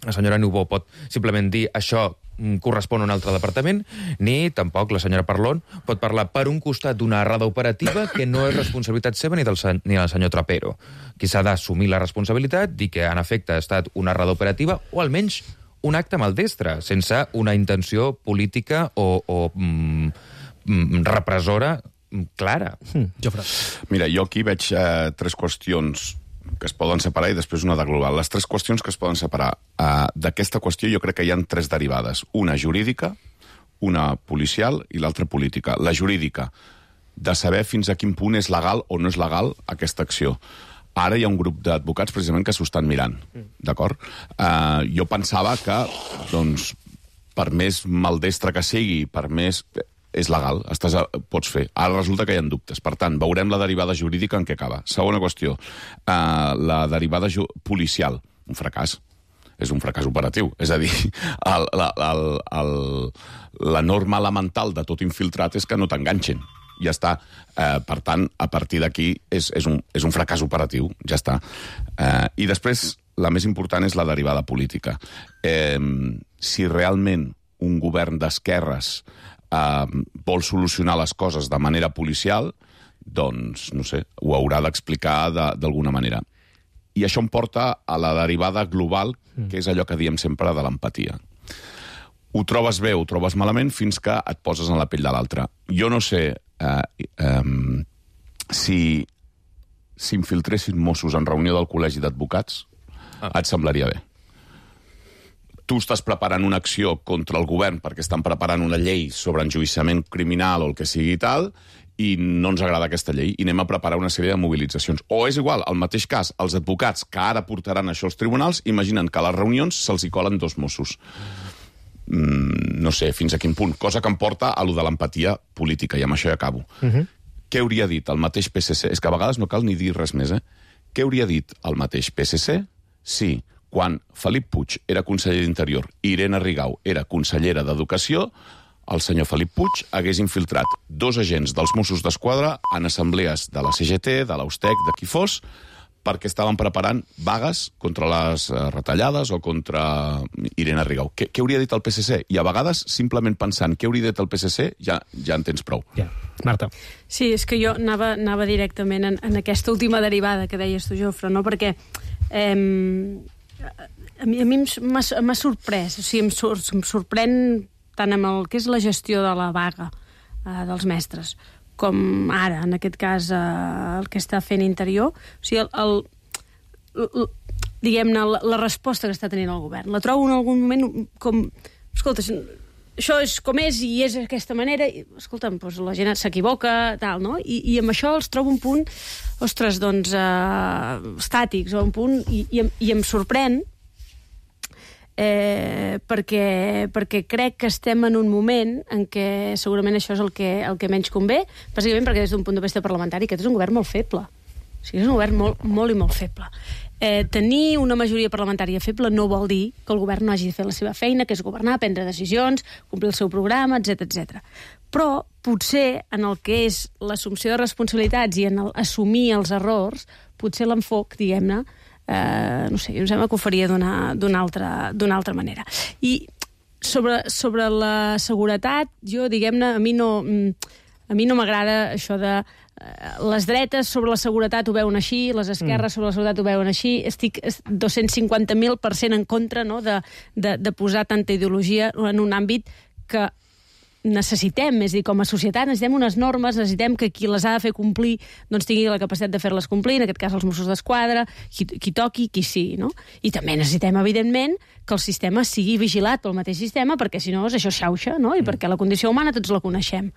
[SPEAKER 1] la senyora Niubó, pot simplement dir això correspon a un altre departament, ni tampoc la senyora Parlon pot parlar per un costat d'una errada operativa que no és responsabilitat seva ni del senyor Trapero. Qui s'ha d'assumir la responsabilitat, dir que en efecte ha estat una errada operativa o almenys un acte maldestre, sense una intenció política o repressora clara.
[SPEAKER 2] Jofre.
[SPEAKER 3] Mira, jo aquí veig tres qüestions que es poden separar i després una de global. Les tres qüestions que es poden separar d'aquesta qüestió jo crec que hi ha tres derivades. Una jurídica, una policial i l'altra política. La jurídica, de saber fins a quin punt és legal o no és legal aquesta acció. Ara hi ha un grup d'advocats precisament que s'ho estan mirant, d'acord? Jo pensava que, doncs, per més maldestre que sigui, per més... és legal, pots fer. Ara resulta que hi ha dubtes. Per tant, veurem la derivada jurídica en què acaba. Segona qüestió, la derivada policial. Un fracàs. És un fracàs operatiu. És a dir, la norma elemental de tot infiltrat és que no t'enganxen. Ja està. Per tant, a partir d'aquí és un fracàs operatiu. Ja està. I després, la més important és la derivada política. Si realment un govern d'esquerres vol solucionar les coses de manera policial, doncs, no sé, ho haurà d'explicar d'alguna manera. I això em porta a la derivada global, que és allò que diem sempre de l'empatia. Ho trobes bé, ho trobes malament, fins que et poses en la pell de l'altre. Jo no sé si s'infiltressin Mossos en reunió del Col·legi d'Advocats, et semblaria bé. Tu estàs preparant una acció contra el govern perquè estan preparant una llei sobre enjudiciament criminal o el que sigui tal, i no ens agrada aquesta llei i anem a preparar una sèrie de mobilitzacions. O és igual, al mateix cas, els advocats que ara portaran això als tribunals imaginen que a les reunions se'ls hi colen 2 Mossos. No sé fins a quin punt. Cosa que em porta a lo de l'empatia política, i amb això ja acabo. Què hauria dit el mateix PSC? És que a vegades no cal ni dir res més, Què hauria dit el mateix PSC si, quan Felip Puig era conseller d'Interior i Irene Rigau era consellera d'Educació, el senyor Felip Puig hagués infiltrat 2 agents dels Mossos d'Esquadra en assemblees de la CGT, de l'Austec, de qui fos, perquè estaven preparant vagues contra les retallades o contra Irene Rigau. Què hauria dit el PSC? I a vegades, simplement pensant què hauria dit el PSC, ja en tens prou.
[SPEAKER 2] Ja. Marta.
[SPEAKER 11] Sí, és que jo anava directament en aquesta última derivada que deies tu, Jofre, no? Perquè a mi m'ha sorprès, o sigui, em sorprèn tant amb el que és la gestió de la vaga dels mestres, com ara, en aquest cas, el que està fent Interior. O sigui, diguem-ne, la resposta que està tenint el govern. La trobo en algun moment com... Escolta, això és com és i és d'aquesta manera. Escolta'm, doncs la gent s'equivoca, tal, no? I amb això els trobo un punt, ostres, doncs, estàtics, o un punt... I em sorprèn perquè crec que estem en un moment en què segurament això és el que menys convé, bàsicament perquè des d'un punt de vista parlamentari aquest és un govern molt feble. O sigui, és un govern molt i molt feble. Tenir una majoria parlamentària feble no vol dir que el govern no hagi de fer la seva feina, que és governar, prendre decisions, complir el seu programa, etc. Però potser en el que és l'assumpció de responsabilitats i en assumir els errors, potser l'enfoc, diguem-ne, no sé, em sembla que ho faria d'una altra manera. I sobre la seguretat, jo, diguem-ne, a mi no m'agrada això de les dretes sobre la seguretat ho veuen així, les esquerres sobre la seguretat ho veuen així. Estic 250.000% en contra, no?, de posar tanta ideologia en un àmbit que necessitem, és a dir, com a societat necessitem unes normes, necessitem que qui les ha de fer complir doncs tingui la capacitat de fer-les complir, en aquest cas els Mossos d'Esquadra, qui toqui, qui sigui, no? I també necessitem, evidentment, que el sistema sigui vigilat pel mateix sistema, perquè si no això xauxa, no? I perquè la condició humana tots la coneixem.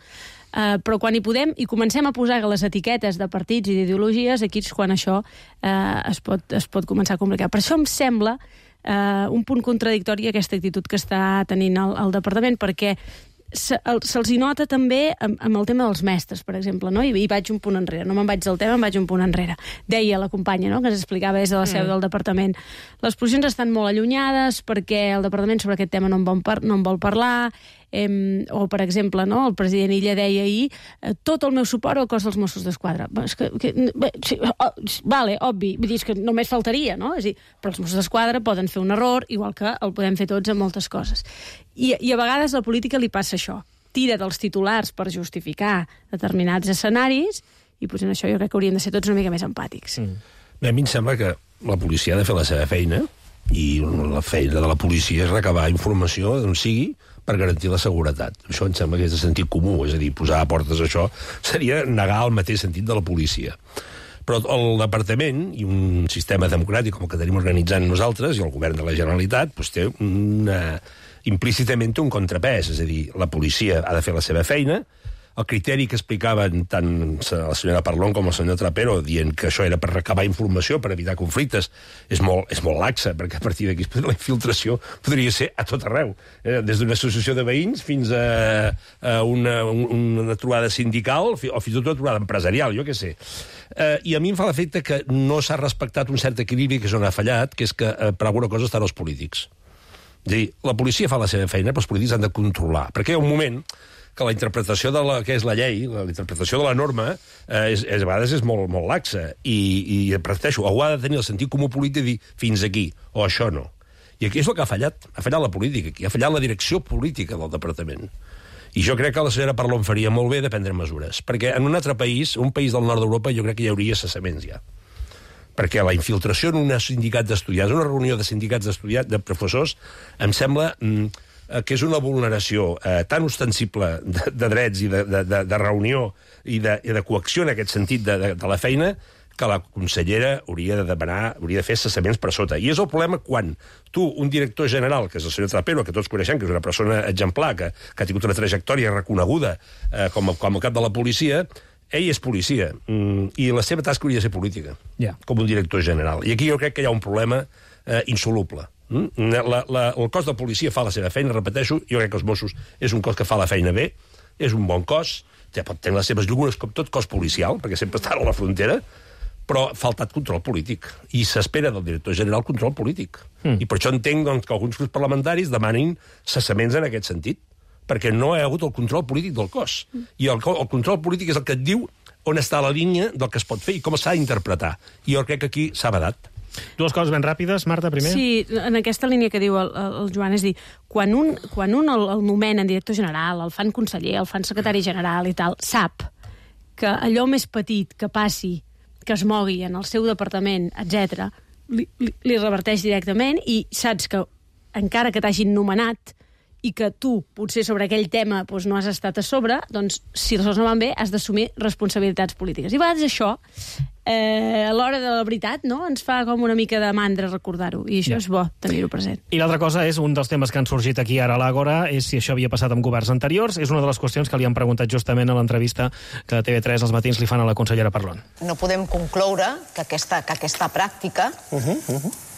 [SPEAKER 11] Però quan hi podem i comencem a posar les etiquetes de partits i d'ideologies, aquí és quan això es pot començar a complicar. Per això em sembla un punt contradictori aquesta actitud que està tenint el departament, perquè se'ls hi nota també amb el tema dels mestres, per exemple, no? I vaig un punt enrere, no me'n vaig del tema, em vaig un punt enrere. Deia la companya, no?, que ens explicava des de la seu del departament. Les posicions estan molt allunyades perquè el departament sobre aquest tema no en vol parlar, o, per exemple, no, el president Illa deia ahir tot el meu suport al cos dels Mossos d'Esquadra. Vale, obvi, vull dir, és que només faltaria, no? És a dir, però els Mossos d'Esquadra poden fer un error, igual que el podem fer tots en moltes coses. I a vegades a la política li passa això. Tira dels titulars per justificar determinats escenaris i potser en això jo crec que hauríem de ser tots una mica més empàtics.
[SPEAKER 4] Bé, a mi em sembla que la policia ha de fer la seva feina i la feina de la policia és recabar informació d'on sigui per garantir la seguretat. Això em sembla que és de sentit comú, és a dir, posar a portes això seria negar el mateix sentit de la policia. Però el departament i un sistema democràtic com el que tenim organitzant nosaltres i el govern de la Generalitat doncs té implícitament un contrapès, és a dir, la policia ha de fer la seva feina. El criteri que explicaven tant la senyora Parlon com el senyor Trapero dient que això era per recabar informació, per evitar conflictes, és molt laxa, perquè a partir d'aquí la infiltració podria ser a tot arreu. Des d'una associació de veïns fins a una trobada sindical o fins i tot una trobada empresarial, jo què sé. I a mi em fa l'efecte que no s'ha respectat un cert equilibri que és on ha fallat, que és que per alguna cosa estan els polítics. És a dir, la policia fa la seva feina, però els polítics han de controlar. Perquè hi ha un moment que la interpretació de la que és la llei, la interpretació de la norma, a vegades és molt laxa. I repeteixo, algú ha de tenir el sentit comú polític de dir fins aquí, o això no. I aquí és el que ha fallat la política, aquí ha fallat la direcció política del departament. I jo crec que la senyora Parlon faria molt bé de prendre mesures, perquè en un altre país, un país del nord d'Europa, jo crec que hi hauria cessaments ja. Perquè la infiltració en un sindicat d'estudiants, una reunió de sindicats d'estudiants, de professors, em sembla que és una vulneració tan ostensible de drets i de reunió i de coacció en aquest sentit de la feina que la consellera hauria de fer cessaments per sota. I és el problema quan tu, un director general, que és el senyor Trapero, que tots coneixem, que és una persona exemplar, que ha tingut una trajectòria reconeguda com a cap de la policia, ell és policia, i la seva tasca hauria de ser política, com un director general. I aquí jo crec que hi ha un problema insoluble. El cos de policia fa la seva feina, repeteixo, jo crec que els Mossos és un cos que fa la feina bé, és un bon cos, ja pot tenir les seves llugures com tot cos policial, perquè sempre estan a la frontera, però ha faltat control polític. I s'espera del director general control polític. I per això entenc doncs, que alguns grups parlamentaris demanin cessaments en aquest sentit, perquè no hi ha hagut el control polític del cos. I el control polític és el que et diu on està la línia del que es pot fer i com s'ha d'interpretar. I jo crec que aquí s'ha badat.
[SPEAKER 2] Dues coses ben ràpides, Marta, primer.
[SPEAKER 11] Sí, en aquesta línia que diu el Joan, és dir, quan un el nomenen director general, el fan conseller, el fan secretari general i tal, sap que allò més petit que passi, que es mogui en el seu departament, etc, li reverteix directament i saps que, encara que t'hagin nomenat i que tu, potser sobre aquell tema doncs no has estat a sobre, doncs, si les coses no van bé, has d'assumir responsabilitats polítiques. I a vegades això, a l'hora de la veritat, no? Ens fa com una mica de mandra recordar-ho, i això és bo tenir-ho present.
[SPEAKER 2] I l'altra cosa és, un dels temes que han sorgit aquí ara a l'Àgora, és si això havia passat amb governs anteriors. És una de les qüestions que li han preguntat justament a l'entrevista que TV3 als matins li fan a la consellera Parlon.
[SPEAKER 6] No podem concloure que aquesta pràctica,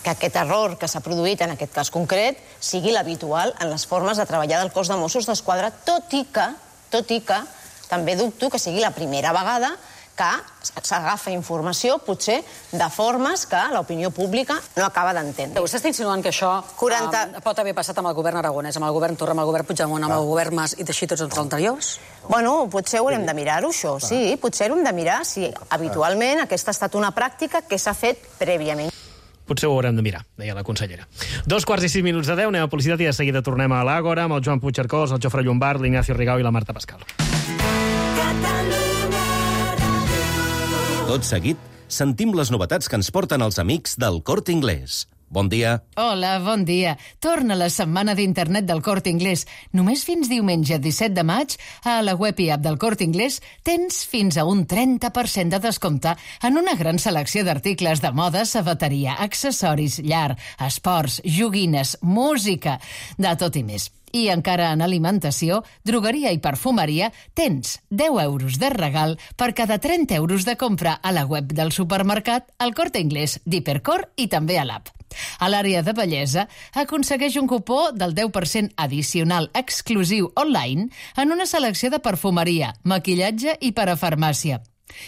[SPEAKER 6] que aquest error que s'ha produït en aquest cas concret sigui l'habitual en les formes de treballar del cos de Mossos d'Esquadra, tot i que també dubto que sigui la primera vegada que s'agafa informació, potser, de formes que l'opinió pública no acaba d'entendre.
[SPEAKER 5] Vostè està insinuant que això pot haver passat amb el govern aragonès, amb el govern Torra, amb el govern Puigdemont, amb el govern Mas i teixir tots els anteriors?
[SPEAKER 6] Bueno, potser haurem de mirar-ho, això, sí. Potser haurem de mirar si habitualment aquesta ha estat una pràctica que s'ha fet prèviament.
[SPEAKER 2] Potser ho haurem de mirar, deia la consellera. 2:06 de 10, anem a publicitat i de seguida tornem a l'Àgora amb el Joan Puigcercós, el Jofre Llombart, l'Ignacio Rigau i la Marta Pascal.
[SPEAKER 12] Tot seguit, sentim les novetats que ens porten els amics del Corte Inglés. Bon dia.
[SPEAKER 13] Hola, bon dia. Torna la setmana d'internet del Corte Inglés. Només fins diumenge 17 de maig, a la web i app del Corte Inglés, tens fins a un 30% de descompte en una gran selecció d'articles de moda, sabateria, accessoris, llar, esports, joguines, música, de tot i més. I encara en alimentació, drogueria i perfumeria, tens 10 euros de regal per cada 30 euros de compra a la web del supermercat, al Corte Inglés, d'Hipercor i també a l'app. A l'àrea de bellesa, aconsegueix un cupó del 10% addicional exclusiu online en una selecció de perfumeria, maquillatge i parafarmàcia.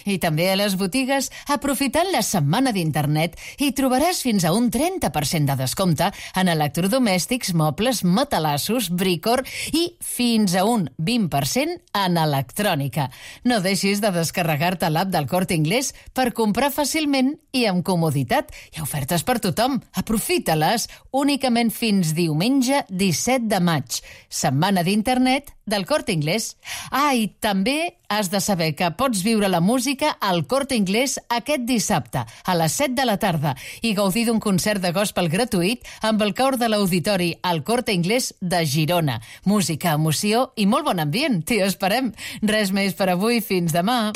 [SPEAKER 13] I també a les botigues, aprofitant la setmana d'internet, hi trobaràs fins a un 30% de descompte en electrodomèstics, mobles, matalassos, bricor i fins a un 20% en electrònica. No deixis de descarregar-te l'app del Corte Inglés per comprar fàcilment i amb comoditat. Hi ha ofertes per tothom. Aprofita-les únicament fins diumenge 17 de maig. Setmana d'internet del Corte Inglés. I també has de saber que pots viure la música al Corte Inglés aquest dissabte a les 7 de la tarda i gaudir d'un concert de gospel gratuït amb el cor de l'auditori al Corte Inglés de Girona. Música, emoció i molt bon ambient. T'hi esperem. Res més per avui. Fins demà.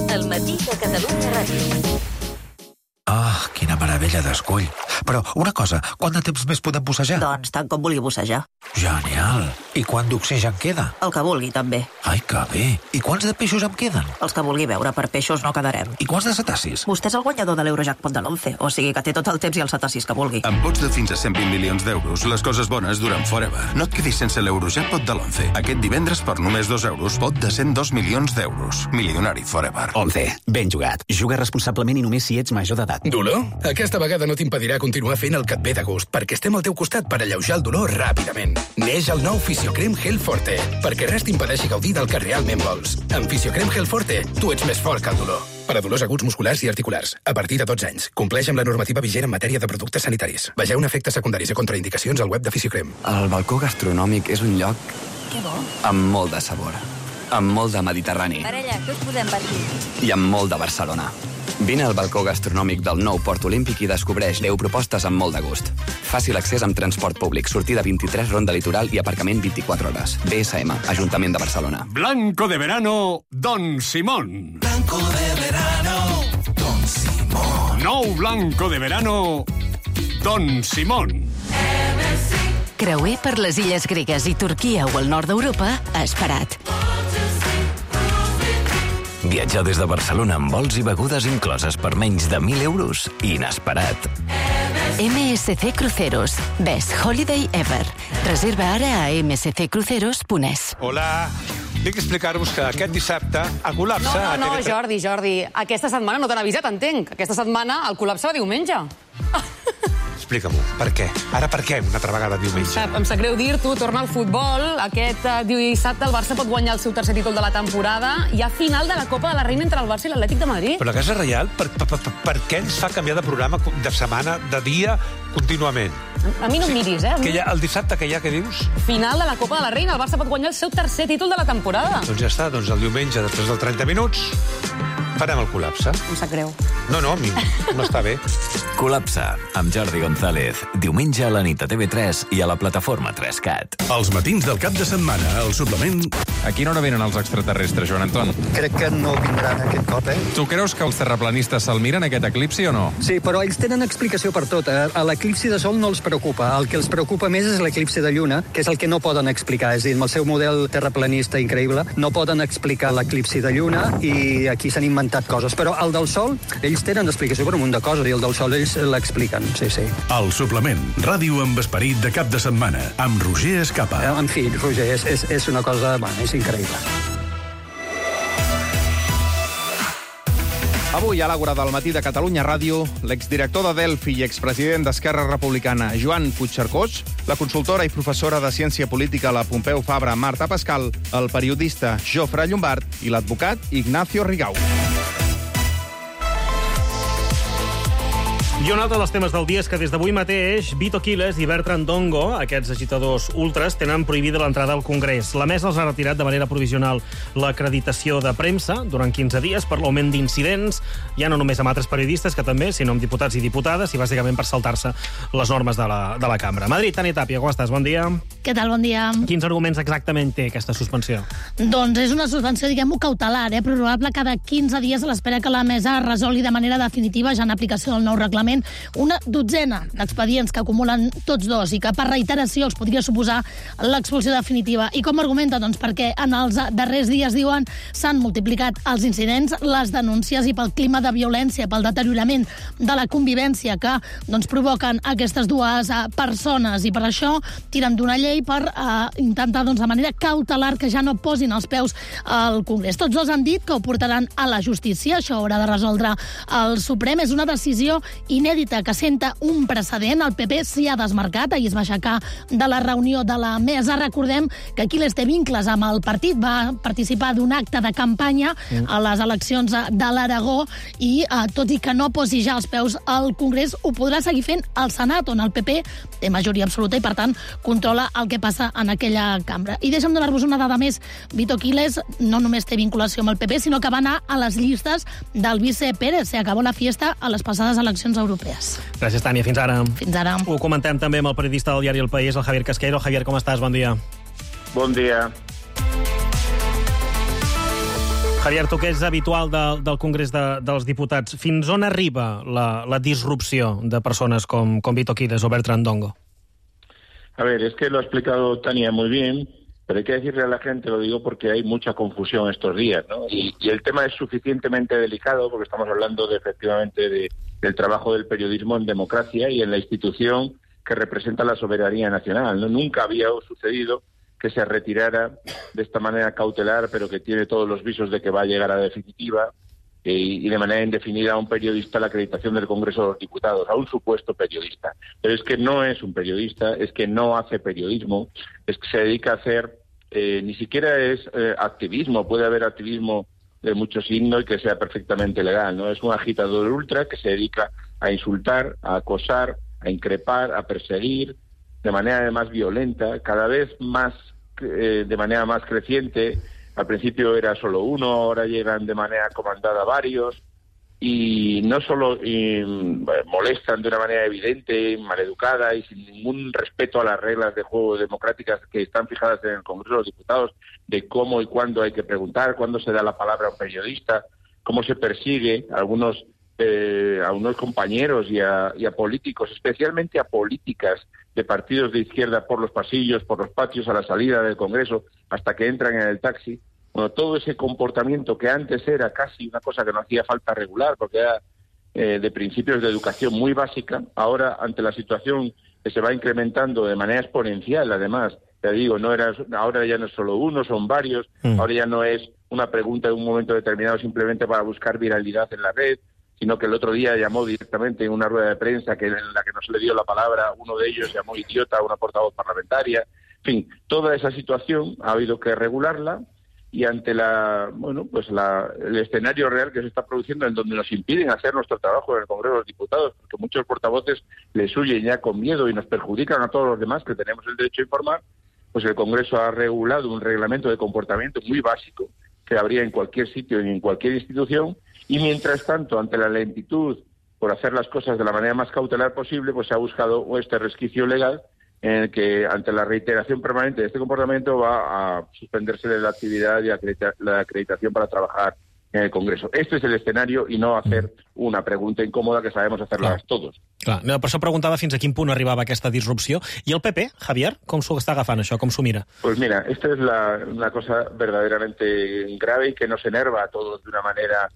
[SPEAKER 14] El matí de Catalunya Ràdio.
[SPEAKER 15] Ah, quina meravella d'escull. Però, una cosa, quant de temps més podem bussejar?
[SPEAKER 14] Doncs tant com vulgui bussejar.
[SPEAKER 15] Genial. I quant d'oxigen queda?
[SPEAKER 14] El que vulgui, també.
[SPEAKER 15] Ai, que bé. I quants de peixos em queden?
[SPEAKER 14] Els que vulgui veure, per peixos no quedarem.
[SPEAKER 15] I quants de cetacis?
[SPEAKER 14] Vostè és el guanyador de l'Eurojackpot de l'11, o sigui que té tot el temps i els cetacis que vulgui.
[SPEAKER 16] Amb pots de fins a 120 milions d'euros, les coses bones duren forever. No et quedis sense l'Eurojackpot de l'11. Aquest divendres, per només 2 euros, pot de 102 milions d'euros. Milionari forever.
[SPEAKER 17] 11. Ben jugat. Juga responsablement i només si ets major d'edat.
[SPEAKER 18] Dolor? Aquesta vegada no t'impedirà continuar fent el que et ve de gust, perquè estem al teu costat per alleujar el dolor ràpidament. Neix el nou Fisiocrem Gel Forte, perquè res t'impedeixi gaudir del que realment vols. Amb Fisiocrem Gel Forte, tu ets més fort que el dolor. Per a dolors aguts musculars i articulars, a partir de 12 anys. Compleix amb la normativa vigent en matèria de productes sanitaris. Vegeu efectes secundaris i contraindicacions al web de Fisiocrem.
[SPEAKER 19] El balcó gastronòmic és un lloc...
[SPEAKER 14] Que bo.
[SPEAKER 19] Amb molt de sabor. Amb molt de Mediterrani.
[SPEAKER 14] Parella, què us podem patir?
[SPEAKER 19] I amb molt de Barcelona. Vine al balcó gastronòmic del nou Port Olímpic i descobreix 10 propostes amb molt de gust. Fàcil accés amb transport públic, sortida 23 Ronda Litoral i aparcament 24 hores. BSM, Ajuntament de Barcelona.
[SPEAKER 20] Blanco de verano, Don Simón.
[SPEAKER 21] Blanco de verano, Don Simón.
[SPEAKER 20] Nou blanco de verano, Don Simón.
[SPEAKER 22] Creuer per les illes gregues i Turquia o el nord d'Europa, esperat.
[SPEAKER 12] Viatjar des de Barcelona amb vols i begudes incloses per menys de 1.000 euros? Inesperat.
[SPEAKER 22] MSC Cruceros. Best Holiday Ever. Reserva ara a msccruceros.es.
[SPEAKER 7] Hola. Tinc que explicar-vos que aquest dissabte el col·lapse...
[SPEAKER 5] No, Jordi. Aquesta setmana no t'han avisat, entenc. Aquesta setmana el col·lapse va diumenge.
[SPEAKER 7] Explica-m'ho, per què? Ara per què una altra vegada diumenge?
[SPEAKER 5] Em sap greu dir-t'ho, torna al futbol. Aquest dissabte el Barça pot guanyar el seu tercer títol de la temporada. Hi ha final de la Copa de la Reina entre el Barça i l'Atlètic de Madrid.
[SPEAKER 7] Però la Casa Reial, per què ens fa canviar de programa, de setmana, de dia, contínuament?
[SPEAKER 5] A mi no em miris,
[SPEAKER 7] El dissabte que hi ha, què dius?
[SPEAKER 5] Final de la Copa de la Reina. El Barça pot guanyar el seu tercer títol de la temporada.
[SPEAKER 7] Doncs ja està, el diumenge, després dels 30 minuts, farem el col·lapse.
[SPEAKER 5] Em sap greu.
[SPEAKER 7] No, a mi m'està bé.
[SPEAKER 12] Col·lapse, amb Jordi González. Diumenge a la nit a TV3 i a la plataforma 3CAT.
[SPEAKER 8] Els matins del cap de setmana, al suplement...
[SPEAKER 1] A quina hora venen els extraterrestres, Joan Anton?
[SPEAKER 23] Crec que no vindran aquest cop,
[SPEAKER 1] Tu creus que els terraplanistes se'l miren, aquest eclipsi, o no?
[SPEAKER 23] Sí, però ells tenen explicació per tot. A l'eclipsi de Sol no els preocupa. El que els preocupa més és l'eclipsi de Lluna, que és el que no poden explicar. És a dir, amb el seu model terraplanista increïble, no poden explicar l'eclipsi de Lluna i aquí s'han inventat coses. Però el del Sol, ells tenen explicació per un munt de coses i el del Sol ells l'expliquen, sí.
[SPEAKER 8] El suplement, ràdio amb esperit de cap de setmana, amb Roger Escapa.
[SPEAKER 23] En fi, Roger, és una cosa... Bueno, és increïble.
[SPEAKER 24] Avui, a l'Àgora del matí de Catalunya Ràdio, l'exdirector de Delphi i expresident d'Esquerra Republicana, Joan Puigcercós, la consultora i professora de Ciència Política a la Pompeu Fabra, Marta Pascal, el periodista Jofre Llombart i l'advocat Ignacio Rigau.
[SPEAKER 2] I un altre dels temes del dia és que des d'avui mateix Vito Quiles i Bertran Dongo, aquests agitadors ultres, tenen prohibida l'entrada al Congrés. La mesa els ha retirat de manera provisional l'acreditació de premsa durant 15 dies per l'augment d'incidents, ja no només amb altres periodistes, que també, sinó amb diputats i diputades, i bàsicament per saltar-se les normes de la cambra. Madrid, Tània Tàpia, com estàs? Bon dia.
[SPEAKER 25] Què tal? Bon dia.
[SPEAKER 2] Quins arguments exactament té aquesta suspensió?
[SPEAKER 25] Doncs és una suspensió, diguem-ho, cautelar, prorrogable cada 15 dies a l'espera que la mesa resolgui de manera definitiva, ja en aplicació del nou reglament, una dotzena d'expedients que acumulen tots dos i que per reiteració els podria suposar l'expulsió definitiva. I com argumenta? Doncs perquè en els darrers dies, diuen, s'han multiplicat els incidents, les denúncies i pel clima de violència, pel deteriorament de la convivència que provoquen aquestes dues persones, i per això tiren d'una llei per intentar de manera cautelar que ja no posin els peus al Congrés. Tots dos han dit que ho portaran a la justícia, això haurà de resoldre el Suprem. És una decisió inèdita que senta un precedent. El PP s'hi ha desmarcat, ahir es va aixecar de la reunió de la mesa. Recordem que Quiles té vincles amb el partit, va participar d'un acte de campanya a les eleccions de l'Aragó i, tot i que no posi ja els peus al Congrés, ho podrà seguir fent al Senat, on el PP té majoria absoluta i, per tant, controla el que passa en aquella cambra. I deixa'm donar-vos una dada més. Vito Quiles no només té vinculació amb el PP, sinó que va anar a les llistes del vice Pérez. Se acabó la fiesta a les passades eleccions europees.
[SPEAKER 2] Gràcies, Tània. Fins ara.
[SPEAKER 25] Fins ara.
[SPEAKER 2] Ho comentem també amb el periodista del diari El País, el Javier Casqueiro. Javier, com estàs? Bon dia.
[SPEAKER 26] Bon dia.
[SPEAKER 2] Javier, tu que ets habitual del Congrés dels Diputats, fins on arriba la disrupció de persones com Vito Quiles o Bertran Dongo?
[SPEAKER 26] A ver, es que lo ha explicado Tania muy bien, pero hay que decirle a la gente, lo digo porque hay mucha confusión estos días, ¿no? Y el tema es suficientemente delicado porque estamos hablando efectivamente del trabajo del periodismo en democracia y en la institución que representa la soberanía nacional, ¿no? Nunca había sucedido que se retirara de esta manera cautelar, pero que tiene todos los visos de que va a llegar a definitiva, y de manera indefinida a un periodista la acreditación del Congreso de los Diputados, a un supuesto periodista. Pero es que no es un periodista, es que no hace periodismo, es que se dedica a hacer, ni siquiera es activismo, puede haber activismo de mucho signo y que sea perfectamente legal, ¿no? Es un agitador ultra que se dedica a insultar, a acosar, a increpar, a perseguir, de manera además violenta, cada vez más, de manera más creciente. Al principio era solo uno, ahora llegan de manera comandada varios, y no solo molestan de una manera evidente, maleducada y sin ningún respeto a las reglas de juego democráticas que están fijadas en el Congreso de los Diputados, de cómo y cuándo hay que preguntar, cuándo se da la palabra a un periodista, cómo se persigue a unos compañeros y a políticos, especialmente a políticas de partidos de izquierda por los pasillos, por los patios, a la salida del Congreso, hasta que entran en el taxi. bueno, todo ese comportamiento que antes era casi una cosa que no hacía falta regular, porque era de principios de educación muy básica, ahora ante la situación que se va incrementando de manera exponencial, además, te digo, ahora ya no es solo uno, son varios, ahora ya no es una pregunta de un momento determinado simplemente para buscar viralidad en la red, sino que el otro día llamó directamente en una rueda de prensa en la que no se le dio la palabra, uno de ellos llamó idiota a una portavoz parlamentaria. En fin, toda esa situación ha habido que regularla, y ante el escenario real que se está produciendo, en donde nos impiden hacer nuestro trabajo en el Congreso de los Diputados, porque muchos portavoces les huyen ya con miedo y nos perjudican a todos los demás que tenemos el derecho a informar, pues el Congreso ha regulado un reglamento de comportamiento muy básico que habría en cualquier sitio y en cualquier institución, y mientras tanto, ante la lentitud por hacer las cosas de la manera más cautelar posible, pues se ha buscado este resquicio legal en el que, ante la reiteración permanente de este comportamiento, va a suspenderse de la actividad y la acreditación para trabajar en el Congreso. Este és l'escenari i no hacer una pregunta incòmoda que sabemos hacerlas todos.
[SPEAKER 2] Clar, per això preguntava fins a quin punt arribava aquesta disrupció. I el PP, Javier, com s'ho està agafant això, com s'ho mira?
[SPEAKER 26] Pues mira, esta es una cosa verdaderamente grave y que nos enerva a todos de una manera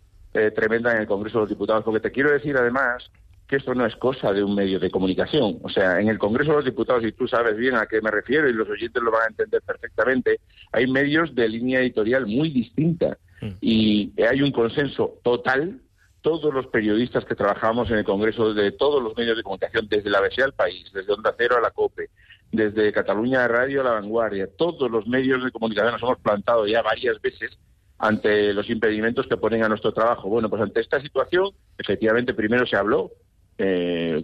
[SPEAKER 26] tremenda en el Congreso de los Diputados, porque te quiero decir además que esto no es cosa de un medio de comunicación. O sea, en el Congreso de los Diputados, y tú sabes bien a qué me refiero y los oyentes lo van a entender perfectamente, hay medios de línea editorial muy distinta y hay un consenso total. Todos los periodistas que trabajamos en el Congreso, de todos los medios de comunicación, desde la ABC al País, desde Onda Cero a la COPE, desde Cataluña Radio a La Vanguardia, todos los medios de comunicación nos hemos plantado ya varias veces ante los impedimentos que ponen a nuestro trabajo. Bueno, pues ante esta situación, efectivamente, primero se habló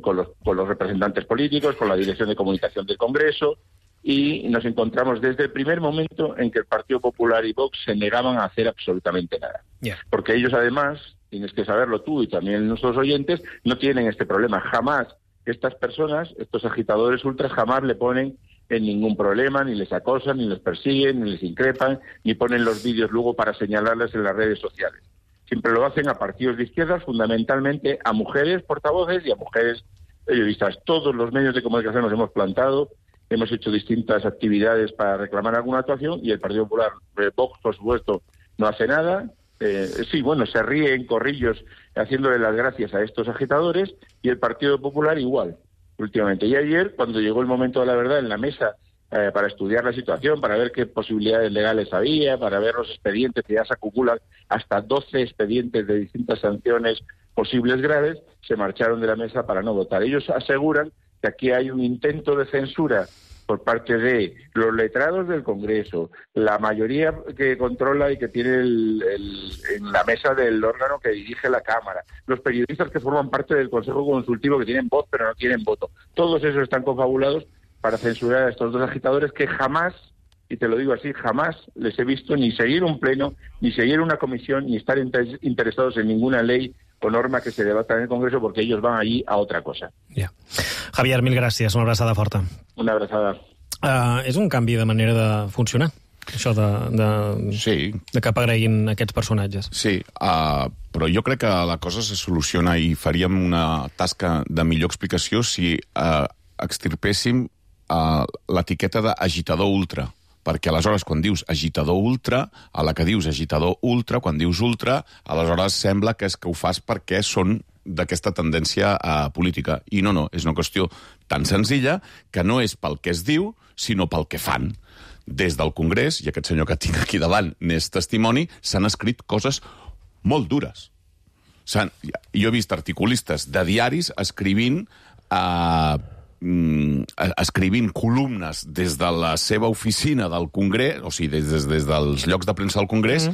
[SPEAKER 26] con los representantes políticos, con la Dirección de Comunicación del Congreso, y nos encontramos desde el primer momento en que el Partido Popular y Vox se negaban a hacer absolutamente nada. Porque ellos, además, tienes que saberlo tú y también nuestros oyentes, no tienen este problema. Jamás estas personas, estos agitadores ultras, jamás le ponen en ningún problema, ni les acosan, ni les persiguen, ni les increpan, ni ponen los vídeos luego para señalarles en las redes sociales. Siempre lo hacen a partidos de izquierdas, fundamentalmente a mujeres portavoces y a mujeres periodistas. Todos los medios de comunicación nos hemos plantado, hemos hecho distintas actividades para reclamar alguna actuación, y el Partido Popular, Vox, por supuesto, no hace nada. Sí, bueno, se ríe en corrillos haciéndole las gracias a estos agitadores, y el Partido Popular igual, últimamente. Y ayer, cuando llegó el momento de la verdad en la mesa, para estudiar la situación, para ver qué posibilidades legales había, para ver los expedientes, que ya se acumulan hasta 12 expedientes de distintas sanciones posibles graves, se marcharon de la mesa para no votar. Ellos aseguran que aquí hay un intento de censura por parte de los letrados del Congreso, la mayoría que controla y que tiene en la mesa del órgano que dirige la Cámara, los periodistas que forman parte del Consejo Consultivo que tienen voz pero no tienen voto. Todos esos están confabulados para censurar a estos dos agitadores que jamás, y te lo digo así, jamás les he visto ni seguir un pleno, ni seguir una comisión, ni estar interesados en ninguna ley o norma que se debata en el Congreso, porque ellos van allí a otra cosa.
[SPEAKER 2] Javier, mil gràcies, una abraçada forta.
[SPEAKER 26] Una abraçada.
[SPEAKER 2] És un canvi de manera de funcionar, això de que apareguin aquests personatges.
[SPEAKER 3] Sí, però jo crec que la cosa se soluciona i faríem una tasca de millor explicació si extirpéssim l'etiqueta d'agitador ultra, perquè aleshores quan dius agitador ultra, a la que dius agitador ultra, quan dius ultra, aleshores sembla que és que ho fas perquè són d'aquesta tendència política. I no, és una qüestió tan senzilla que no és pel que es diu, sinó pel que fan. Des del Congrés, i aquest senyor que tinc aquí davant n'és testimoni, s'han escrit coses molt dures. Jo he vist articulistes de diaris escrivint columnes des de la seva oficina del Congrés, o sigui, des dels llocs de premsa del Congrés,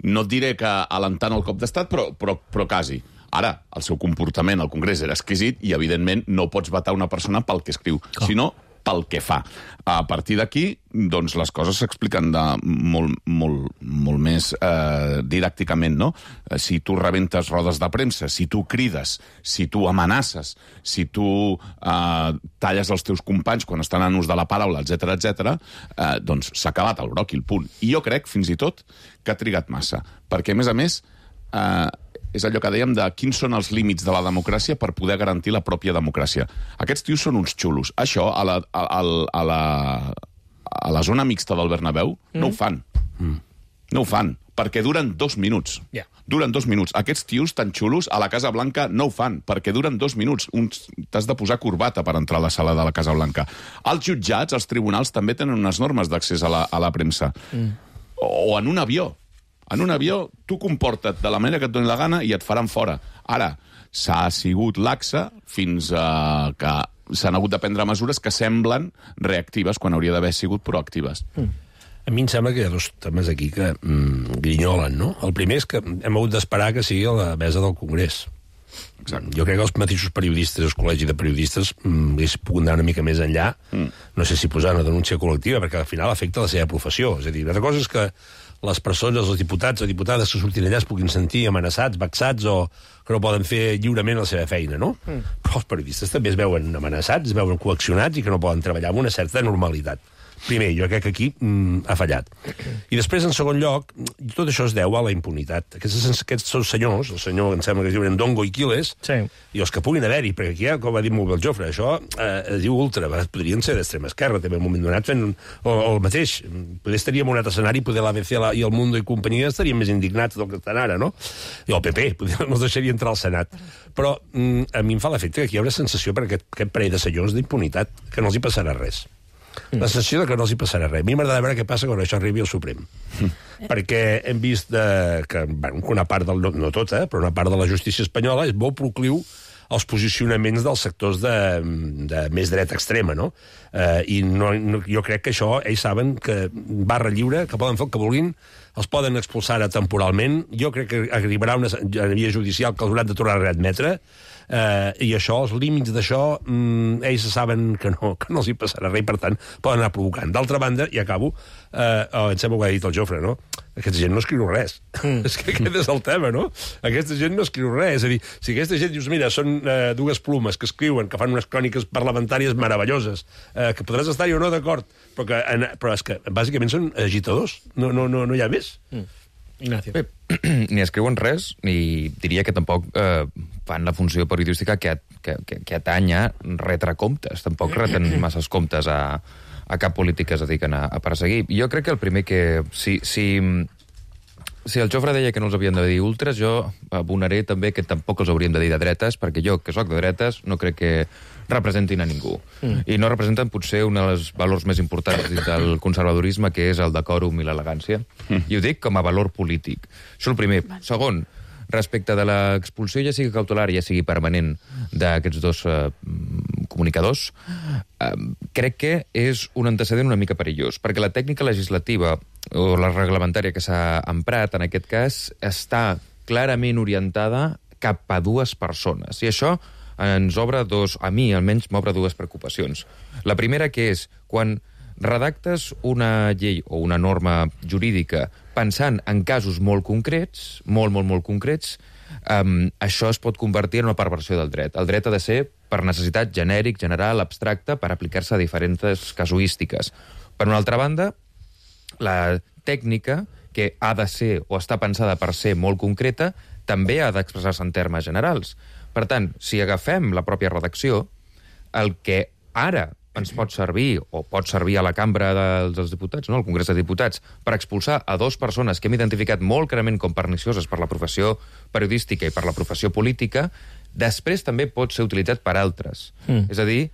[SPEAKER 3] no et diré que alentant el cop d'estat, però quasi. Ara, el seu comportament al Congrés era exquisit i, evidentment, no pots vetar una persona pel que escriu, sinó pel que fa. A partir d'aquí, doncs, les coses s'expliquen molt més didàcticament, no? Si tu rebentes rodes de premsa, si tu crides, si tu amenaces, si tu talles els teus companys quan estan en ús de la paraula, etc., doncs s'ha acabat el bròquil, punt. I jo crec, fins i tot, que ha trigat massa. Perquè, a més, és allò que dèiem de quins són els límits de la democràcia per poder garantir la pròpia democràcia. Aquests tios són uns xulos. Això, a la zona mixta del Bernabéu, no ho fan. No ho fan, perquè duren 2 minuts. Duren 2 minuts. Aquests tios tan xulos a la Casa Blanca no ho fan, perquè duren 2 minuts. T'has de posar corbata per entrar a la sala de la Casa Blanca. Els jutjats, els tribunals, també tenen unes normes d'accés a la premsa. O en un avió. En un avió, tu comporta't de la manera que et doni la gana i et faran fora. Ara, s'ha sigut laxa fins que s'han hagut de prendre mesures que semblen reactives quan hauria d'haver sigut proactives.
[SPEAKER 4] A mi em sembla que hi ha 2 temes aquí que grinyolen, no? El primer és que hem hagut d'esperar que sigui a la mesa del Congrés. Exacte. Jo crec que els mateixos periodistes, els col·legis de periodistes, hagués pogut anar una mica més enllà, no sé si posar una denúncia col·lectiva, perquè al final afecta la seva professió. És a dir, una cosa és que les persones, els diputats o diputades que surtin allà es puguin sentir amenaçats, vexats o que no poden fer lliurement la seva feina, no? Però els periodistes també es veuen amenaçats, es veuen coaccionats i que no poden treballar amb una certa normalitat. Primer, jo crec que aquí ha fallat. I després, en segon lloc, tot això es deu a la impunitat. Aquests senyors, el senyor, em sembla que es diuen Ndongo i Quiles, i els que puguin haver-hi, perquè aquí, com va dir molt bé el Jofre, això es diu ultra, podrien ser d'extrema esquerra, també en un moment donat fent el mateix. Poder estaríem en un altre escenari, poder l'ABC i el Mundo i companyia estarien més indignats del que estan ara, no? I el PP, no els deixaria entrar al Senat. Però a mi em fa l'efecte que aquí hi haurà sensació per aquest parell de senyors d'impunitat, que no els hi passarà res. La sensació que no els hi passarà res. A mi m'agrada veure què passa quan això arribi al Suprem. Perquè hem vist que una part, no tota, però una part de la justícia espanyola és molt procliu als posicionaments dels sectors de més dreta extrema, no? I jo crec que això, ells saben que barra lliure, que poden fer el que vulguin, els poden expulsar temporalment. Jo crec que arribarà una via judicial que els hauran de tornar a readmetre, i això, els límits d'això, ells saben que no els hi passarà res, per tant, poden anar provocant. D'altra banda, i acabo, em sembla que ho ha dit el Jofre, no? Aquesta gent no escriu res. És que aquest és el tema, no? Aquesta gent no escriu res. És a dir, si aquesta gent dius, mira, són 2 plumes que escriuen, que fan unes cròniques parlamentàries meravelloses, que podràs estar-hi o no d'acord, però és que bàsicament són agitadors. No hi ha més.
[SPEAKER 2] Ignacio.
[SPEAKER 1] Bé, ni escriuen res, ni diria que tampoc fan la funció periodística que atany a retre comptes. Tampoc reten masses comptes a cap polític que es dediquen a perseguir. Jo crec que el primer que... Si el Jofre deia que no els havien de dir ultras, jo abonaré també que tampoc els hauríem de dir de dretes, perquè jo, que sóc de dretes, no crec que representin a ningú. I no representen potser un dels valors més importants del conservadorisme, que és el decòrum i l'elegància. I ho dic com a valor polític. Això el primer. Segon, respecte de l'expulsió, ja sigui cautelar, ja sigui permanent, d'aquests 2 comunicadors, crec que és un antecedent una mica perillós, perquè la tècnica legislativa o la reglamentària que s'ha emprat, en aquest cas, està clarament orientada cap a 2 persones. I això ens obre a mi almenys m'obre 2 preocupacions. La primera, que és, quan redactes una llei o una norma jurídica pensant en casos molt concrets, molt concrets, això es pot convertir en una perversió del dret. El dret ha de ser per necessitat genèric, general, abstracte, per aplicar-se a diferents casuístiques. Per una altra banda, la tècnica, que ha de ser o està pensada per ser molt concreta, també ha d'expressar-se en termes generals. Per tant, si agafem la pròpia redacció, el que ara ens pot servir, o pot servir a la Cambra dels Diputats, no, al Congrés de Diputats, per expulsar a 2 persones que hem identificat molt clarament com pernicioses per la professió periodística i per la professió política, després també pot ser utilitzat per altres. És a dir,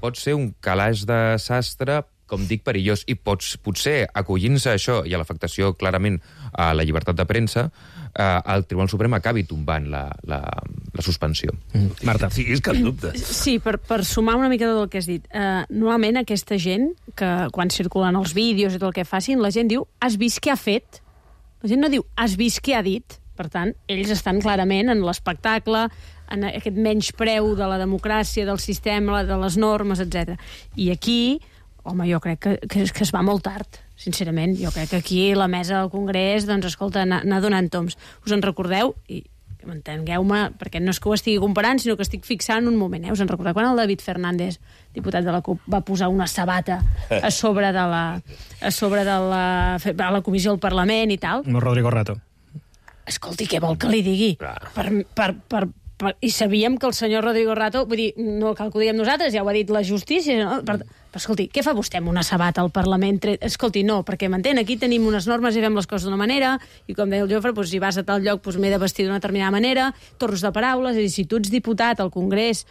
[SPEAKER 1] pot ser un calaix de sastre, com dic, perillós, i potser acollint-se a això i a l'afectació clarament a la llibertat de premsa, el Tribunal Suprem acabi tombant la suspensió.
[SPEAKER 2] Marta.
[SPEAKER 4] Sí, és cap dubte.
[SPEAKER 6] Sí, per sumar una mica del que has dit. Normalment aquesta gent, que quan circulen els vídeos i tot el que facin, la gent diu, has vist què ha fet? La gent no diu, has vist què ha dit? Per tant, ells estan clarament en l'espectacle, en aquest menyspreu de la democràcia, del sistema, de les normes, etc. I aquí, home, jo crec que es va molt tard, sincerament. Jo crec que aquí la mesa del Congrés, doncs, escolta, anar donant toms. Us en recordeu? I entengueu-me, perquè no és que ho estigui comparant, sinó que estic fixant un moment. Us en recordeu quan el David Fernández, diputat de la CUP, va posar una sabata a sobre de la comissió del Parlament i tal?
[SPEAKER 2] No, Rodrigo Rato.
[SPEAKER 6] Escolti, què vol que li digui? I sabíem que el senyor Rodrigo Rato, vull dir, no cal que ho diguem nosaltres, ja ho ha dit la justícia, no? Però, escolti, què fa vostè amb una sabata al Parlament? Escolti, no, perquè m'entén, aquí tenim unes normes i fem les coses d'una manera, i com deia el Jofre, doncs, si vas a tal lloc m'he de vestir d'una determinada manera, torns de paraules, és a dir, si tu ets diputat al Congrés,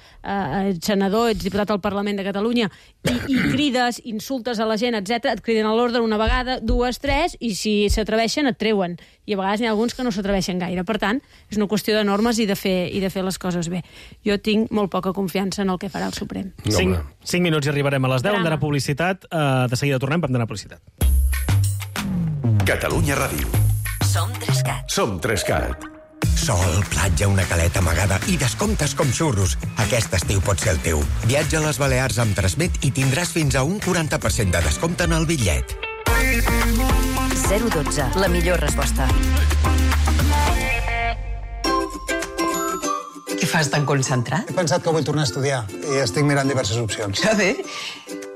[SPEAKER 6] senador, ets diputat al Parlament de Catalunya, i crides, insultes a la gent, etc, et criden a l'ordre una vegada, 2, 3, i si s'atreveixen et treuen. I a vegades n'hi ha alguns que no s'atreveixen gaire. Per tant, és una qüestió de normes i de fer les coses bé. Jo tinc molt poca confiança en el que farà el Suprem.
[SPEAKER 2] 5 minuts i arribarem a les 10, hem d'anar a publicitat. De seguida tornem, hem d'anar a publicitat.
[SPEAKER 8] Catalunya Ràdio.
[SPEAKER 22] Som 3CAT.
[SPEAKER 8] Som 3CAT.
[SPEAKER 9] Sol, platja, una caleta amagada i descomptes com xurros. Aquest estiu pot ser el teu. Viatja a les Balears amb Transmet i tindràs fins a un 40% de descompte en el bitllet.
[SPEAKER 22] 012, la millor resposta.
[SPEAKER 10] Què fas tan concentrat?
[SPEAKER 11] He pensat que vull tornar a estudiar i estic mirant diverses opcions.
[SPEAKER 10] A veure,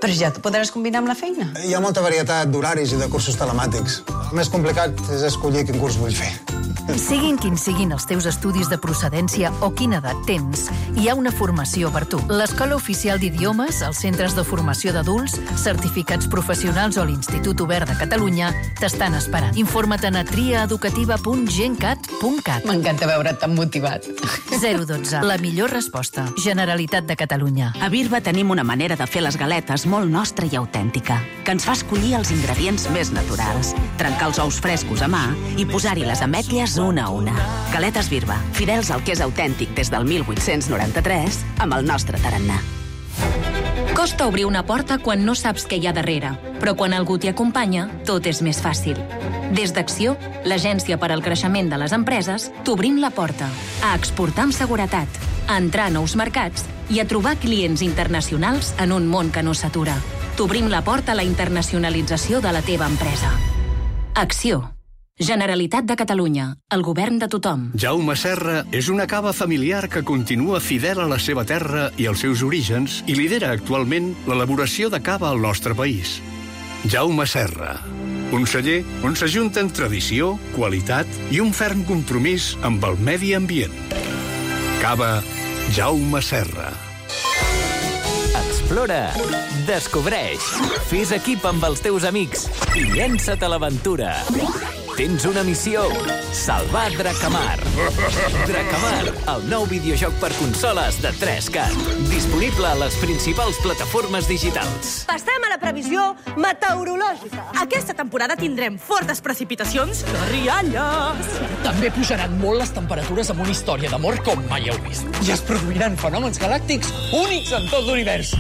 [SPEAKER 10] però ja t'ho podràs combinar amb la feina.
[SPEAKER 11] Hi ha molta varietat d'horaris i de cursos telemàtics. El més complicat és escollir quin curs vull fer.
[SPEAKER 22] Siguin quins siguin els teus estudis de procedència o quina edat tens, hi ha una formació per tu. L'Escola Oficial d'Idiomes, els centres de formació d'adults, certificats professionals o l'Institut Obert de Catalunya t'estan esperant. Informa't a triaeducativa.gencat.cat.
[SPEAKER 10] M'encanta veure't tan motivat.
[SPEAKER 22] 012, la millor resposta. Generalitat de Catalunya.
[SPEAKER 13] A Birba tenim una manera de fer les galetes molt nostra i autèntica, que ens fa escollir els ingredients més naturals, trencar els ous frescos a mà i posar-hi les ametlles una a una. Galetes Birba, fidels al que és autèntic des del 1893, amb el nostre tarannà.
[SPEAKER 15] Costa obrir una porta quan no saps què hi ha darrere, però quan algú t'hi acompanya, tot és més fàcil. Des d'Acció, l'agència per al creixement de les empreses, t'obrim la porta a exportar amb seguretat, a entrar a nous mercats i a trobar clients internacionals en un món que no s'atura. T'obrim la porta a la internacionalització de la teva empresa. Acció. Generalitat de Catalunya, el govern de tothom.
[SPEAKER 8] Jaume Serra és una cava familiar que continua fidel a la seva terra i als seus orígens i lidera actualment l'elaboració de cava al nostre país. Jaume Serra, un celler on s'ajunten tradició, qualitat i un ferm compromís amb el medi ambient. Cava Jaume Serra.
[SPEAKER 12] Explora, descobreix, fes equip amb els teus amics i llença't a l'aventura. Tens una missió, salvar Dracamar. Dracamar, el nou videojoc per consoles de 3CAT. Disponible a les principals plataformes digitals.
[SPEAKER 16] Passem a la previsió meteorològica. Aquesta temporada tindrem fortes precipitacions de rialles.
[SPEAKER 27] També pujaran molt les temperatures amb una història d'amor com mai heu vist. I es produiran fenòmens galàctics únics en tot l'univers.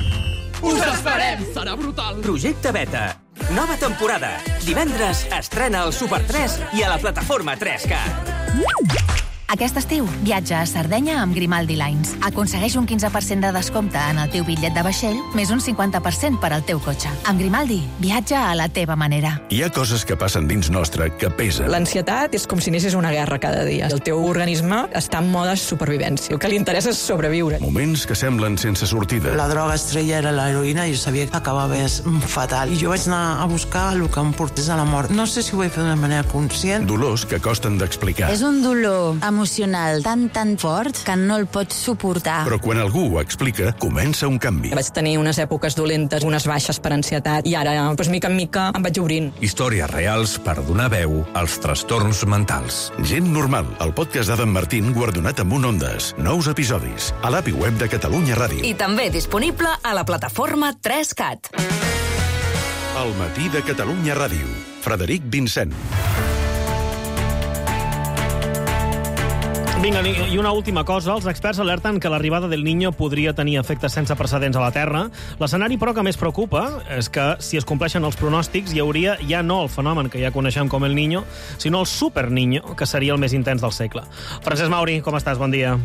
[SPEAKER 27] Us esperem! Serà brutal!
[SPEAKER 28] Projecte Beta. Nova temporada. Divendres estrena el Super 3 i a la plataforma 3CAT.
[SPEAKER 22] Aquest estiu, viatja a Sardenya amb Grimaldi Lines. Aconsegueix un 15% de descompte en el teu bitllet de vaixell, més un 50% per al teu cotxe. Amb Grimaldi, viatja a la teva manera.
[SPEAKER 8] Hi ha coses que passen dins nostre que pesen.
[SPEAKER 27] L'ansietat és com si anessis una guerra cada dia. El teu organisme està en mode supervivència. El que li interessa és sobreviure.
[SPEAKER 8] Moments que semblen sense sortida.
[SPEAKER 29] La droga estrella era l'heroïna i jo sabia que acabava fatal. I jo vaig anar a buscar el que em portés a la mort. No sé si ho vaig fer d'una manera conscient.
[SPEAKER 8] Dolors que costen d'explicar.
[SPEAKER 30] És un dolor emocional tan fort que no el pots suportar.
[SPEAKER 8] Però quan algú ho explica, comença un canvi.
[SPEAKER 27] Vaig tenir unes èpoques dolentes, unes baixes per ansietat, i ara, mica en mica, em vaig obrint.
[SPEAKER 8] Històries reals per donar veu als trastorns mentals. Gent normal, el podcast d'Adam Martín guardonat amb un Ondas. Nous episodis, a l'app i web de Catalunya Ràdio.
[SPEAKER 22] I també disponible a la plataforma 3CAT.
[SPEAKER 8] El matí de Catalunya Ràdio. Frederic Vincent.
[SPEAKER 2] Vinga, i una última cosa. Els experts alerten que l'arribada del Niño podria tenir efectes sense precedents a la Terra. L'escenari, però, que més preocupa és que, si es compleixen els pronòstics, hi hauria ja no el fenomen que ja coneixem com el Niño, sinó el Super Niño, que seria el més intens del segle. Francesc Mauri, com estàs? Bon dia.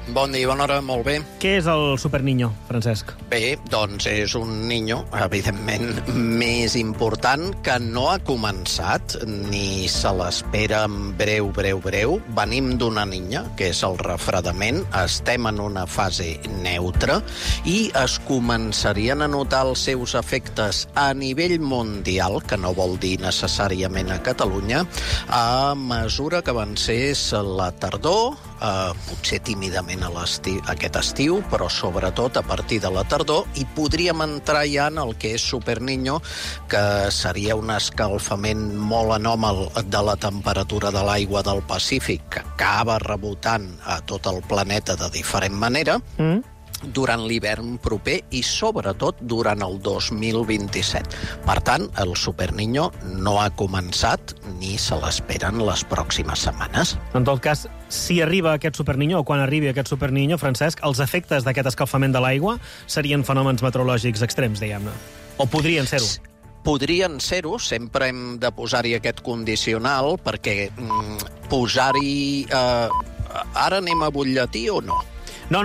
[SPEAKER 31] Bon dia, bona hora, molt bé.
[SPEAKER 2] Què és el Super Niño, Francesc?
[SPEAKER 31] Bé, doncs és un niño, evidentment, més important, que no ha començat, ni se l'espera en breu. Venim d'una niña, que és el refredament, estem en una fase neutra i es començarien a notar els seus efectes a nivell mundial, que no vol dir necessàriament a Catalunya, a mesura que avancés la tardor, potser tímidament aquest estiu, però sobretot a partir de la tardor, i podríem entrar ja en el que és Superniño, que seria un escalfament molt anòmal de la temperatura de l'aigua del Pacífic, que acaba rebotant a tot el planeta de diferent manera, durant l'hivern proper i sobretot durant el 2027. Per tant, el Superniño no ha començat ni se l'esperen les pròximes setmanes.
[SPEAKER 2] En tot cas, si arriba aquest Superniño, o quan arribi aquest Superniño, Francesc, els efectes d'aquest escalfament de l'aigua serien fenòmens meteorològics extrems, diguem-ne. O podrien ser-ho?
[SPEAKER 31] Podrien ser-ho, sempre hem de posar-hi aquest condicional, perquè posar-hi... ara anem a butlletí o no?
[SPEAKER 2] No,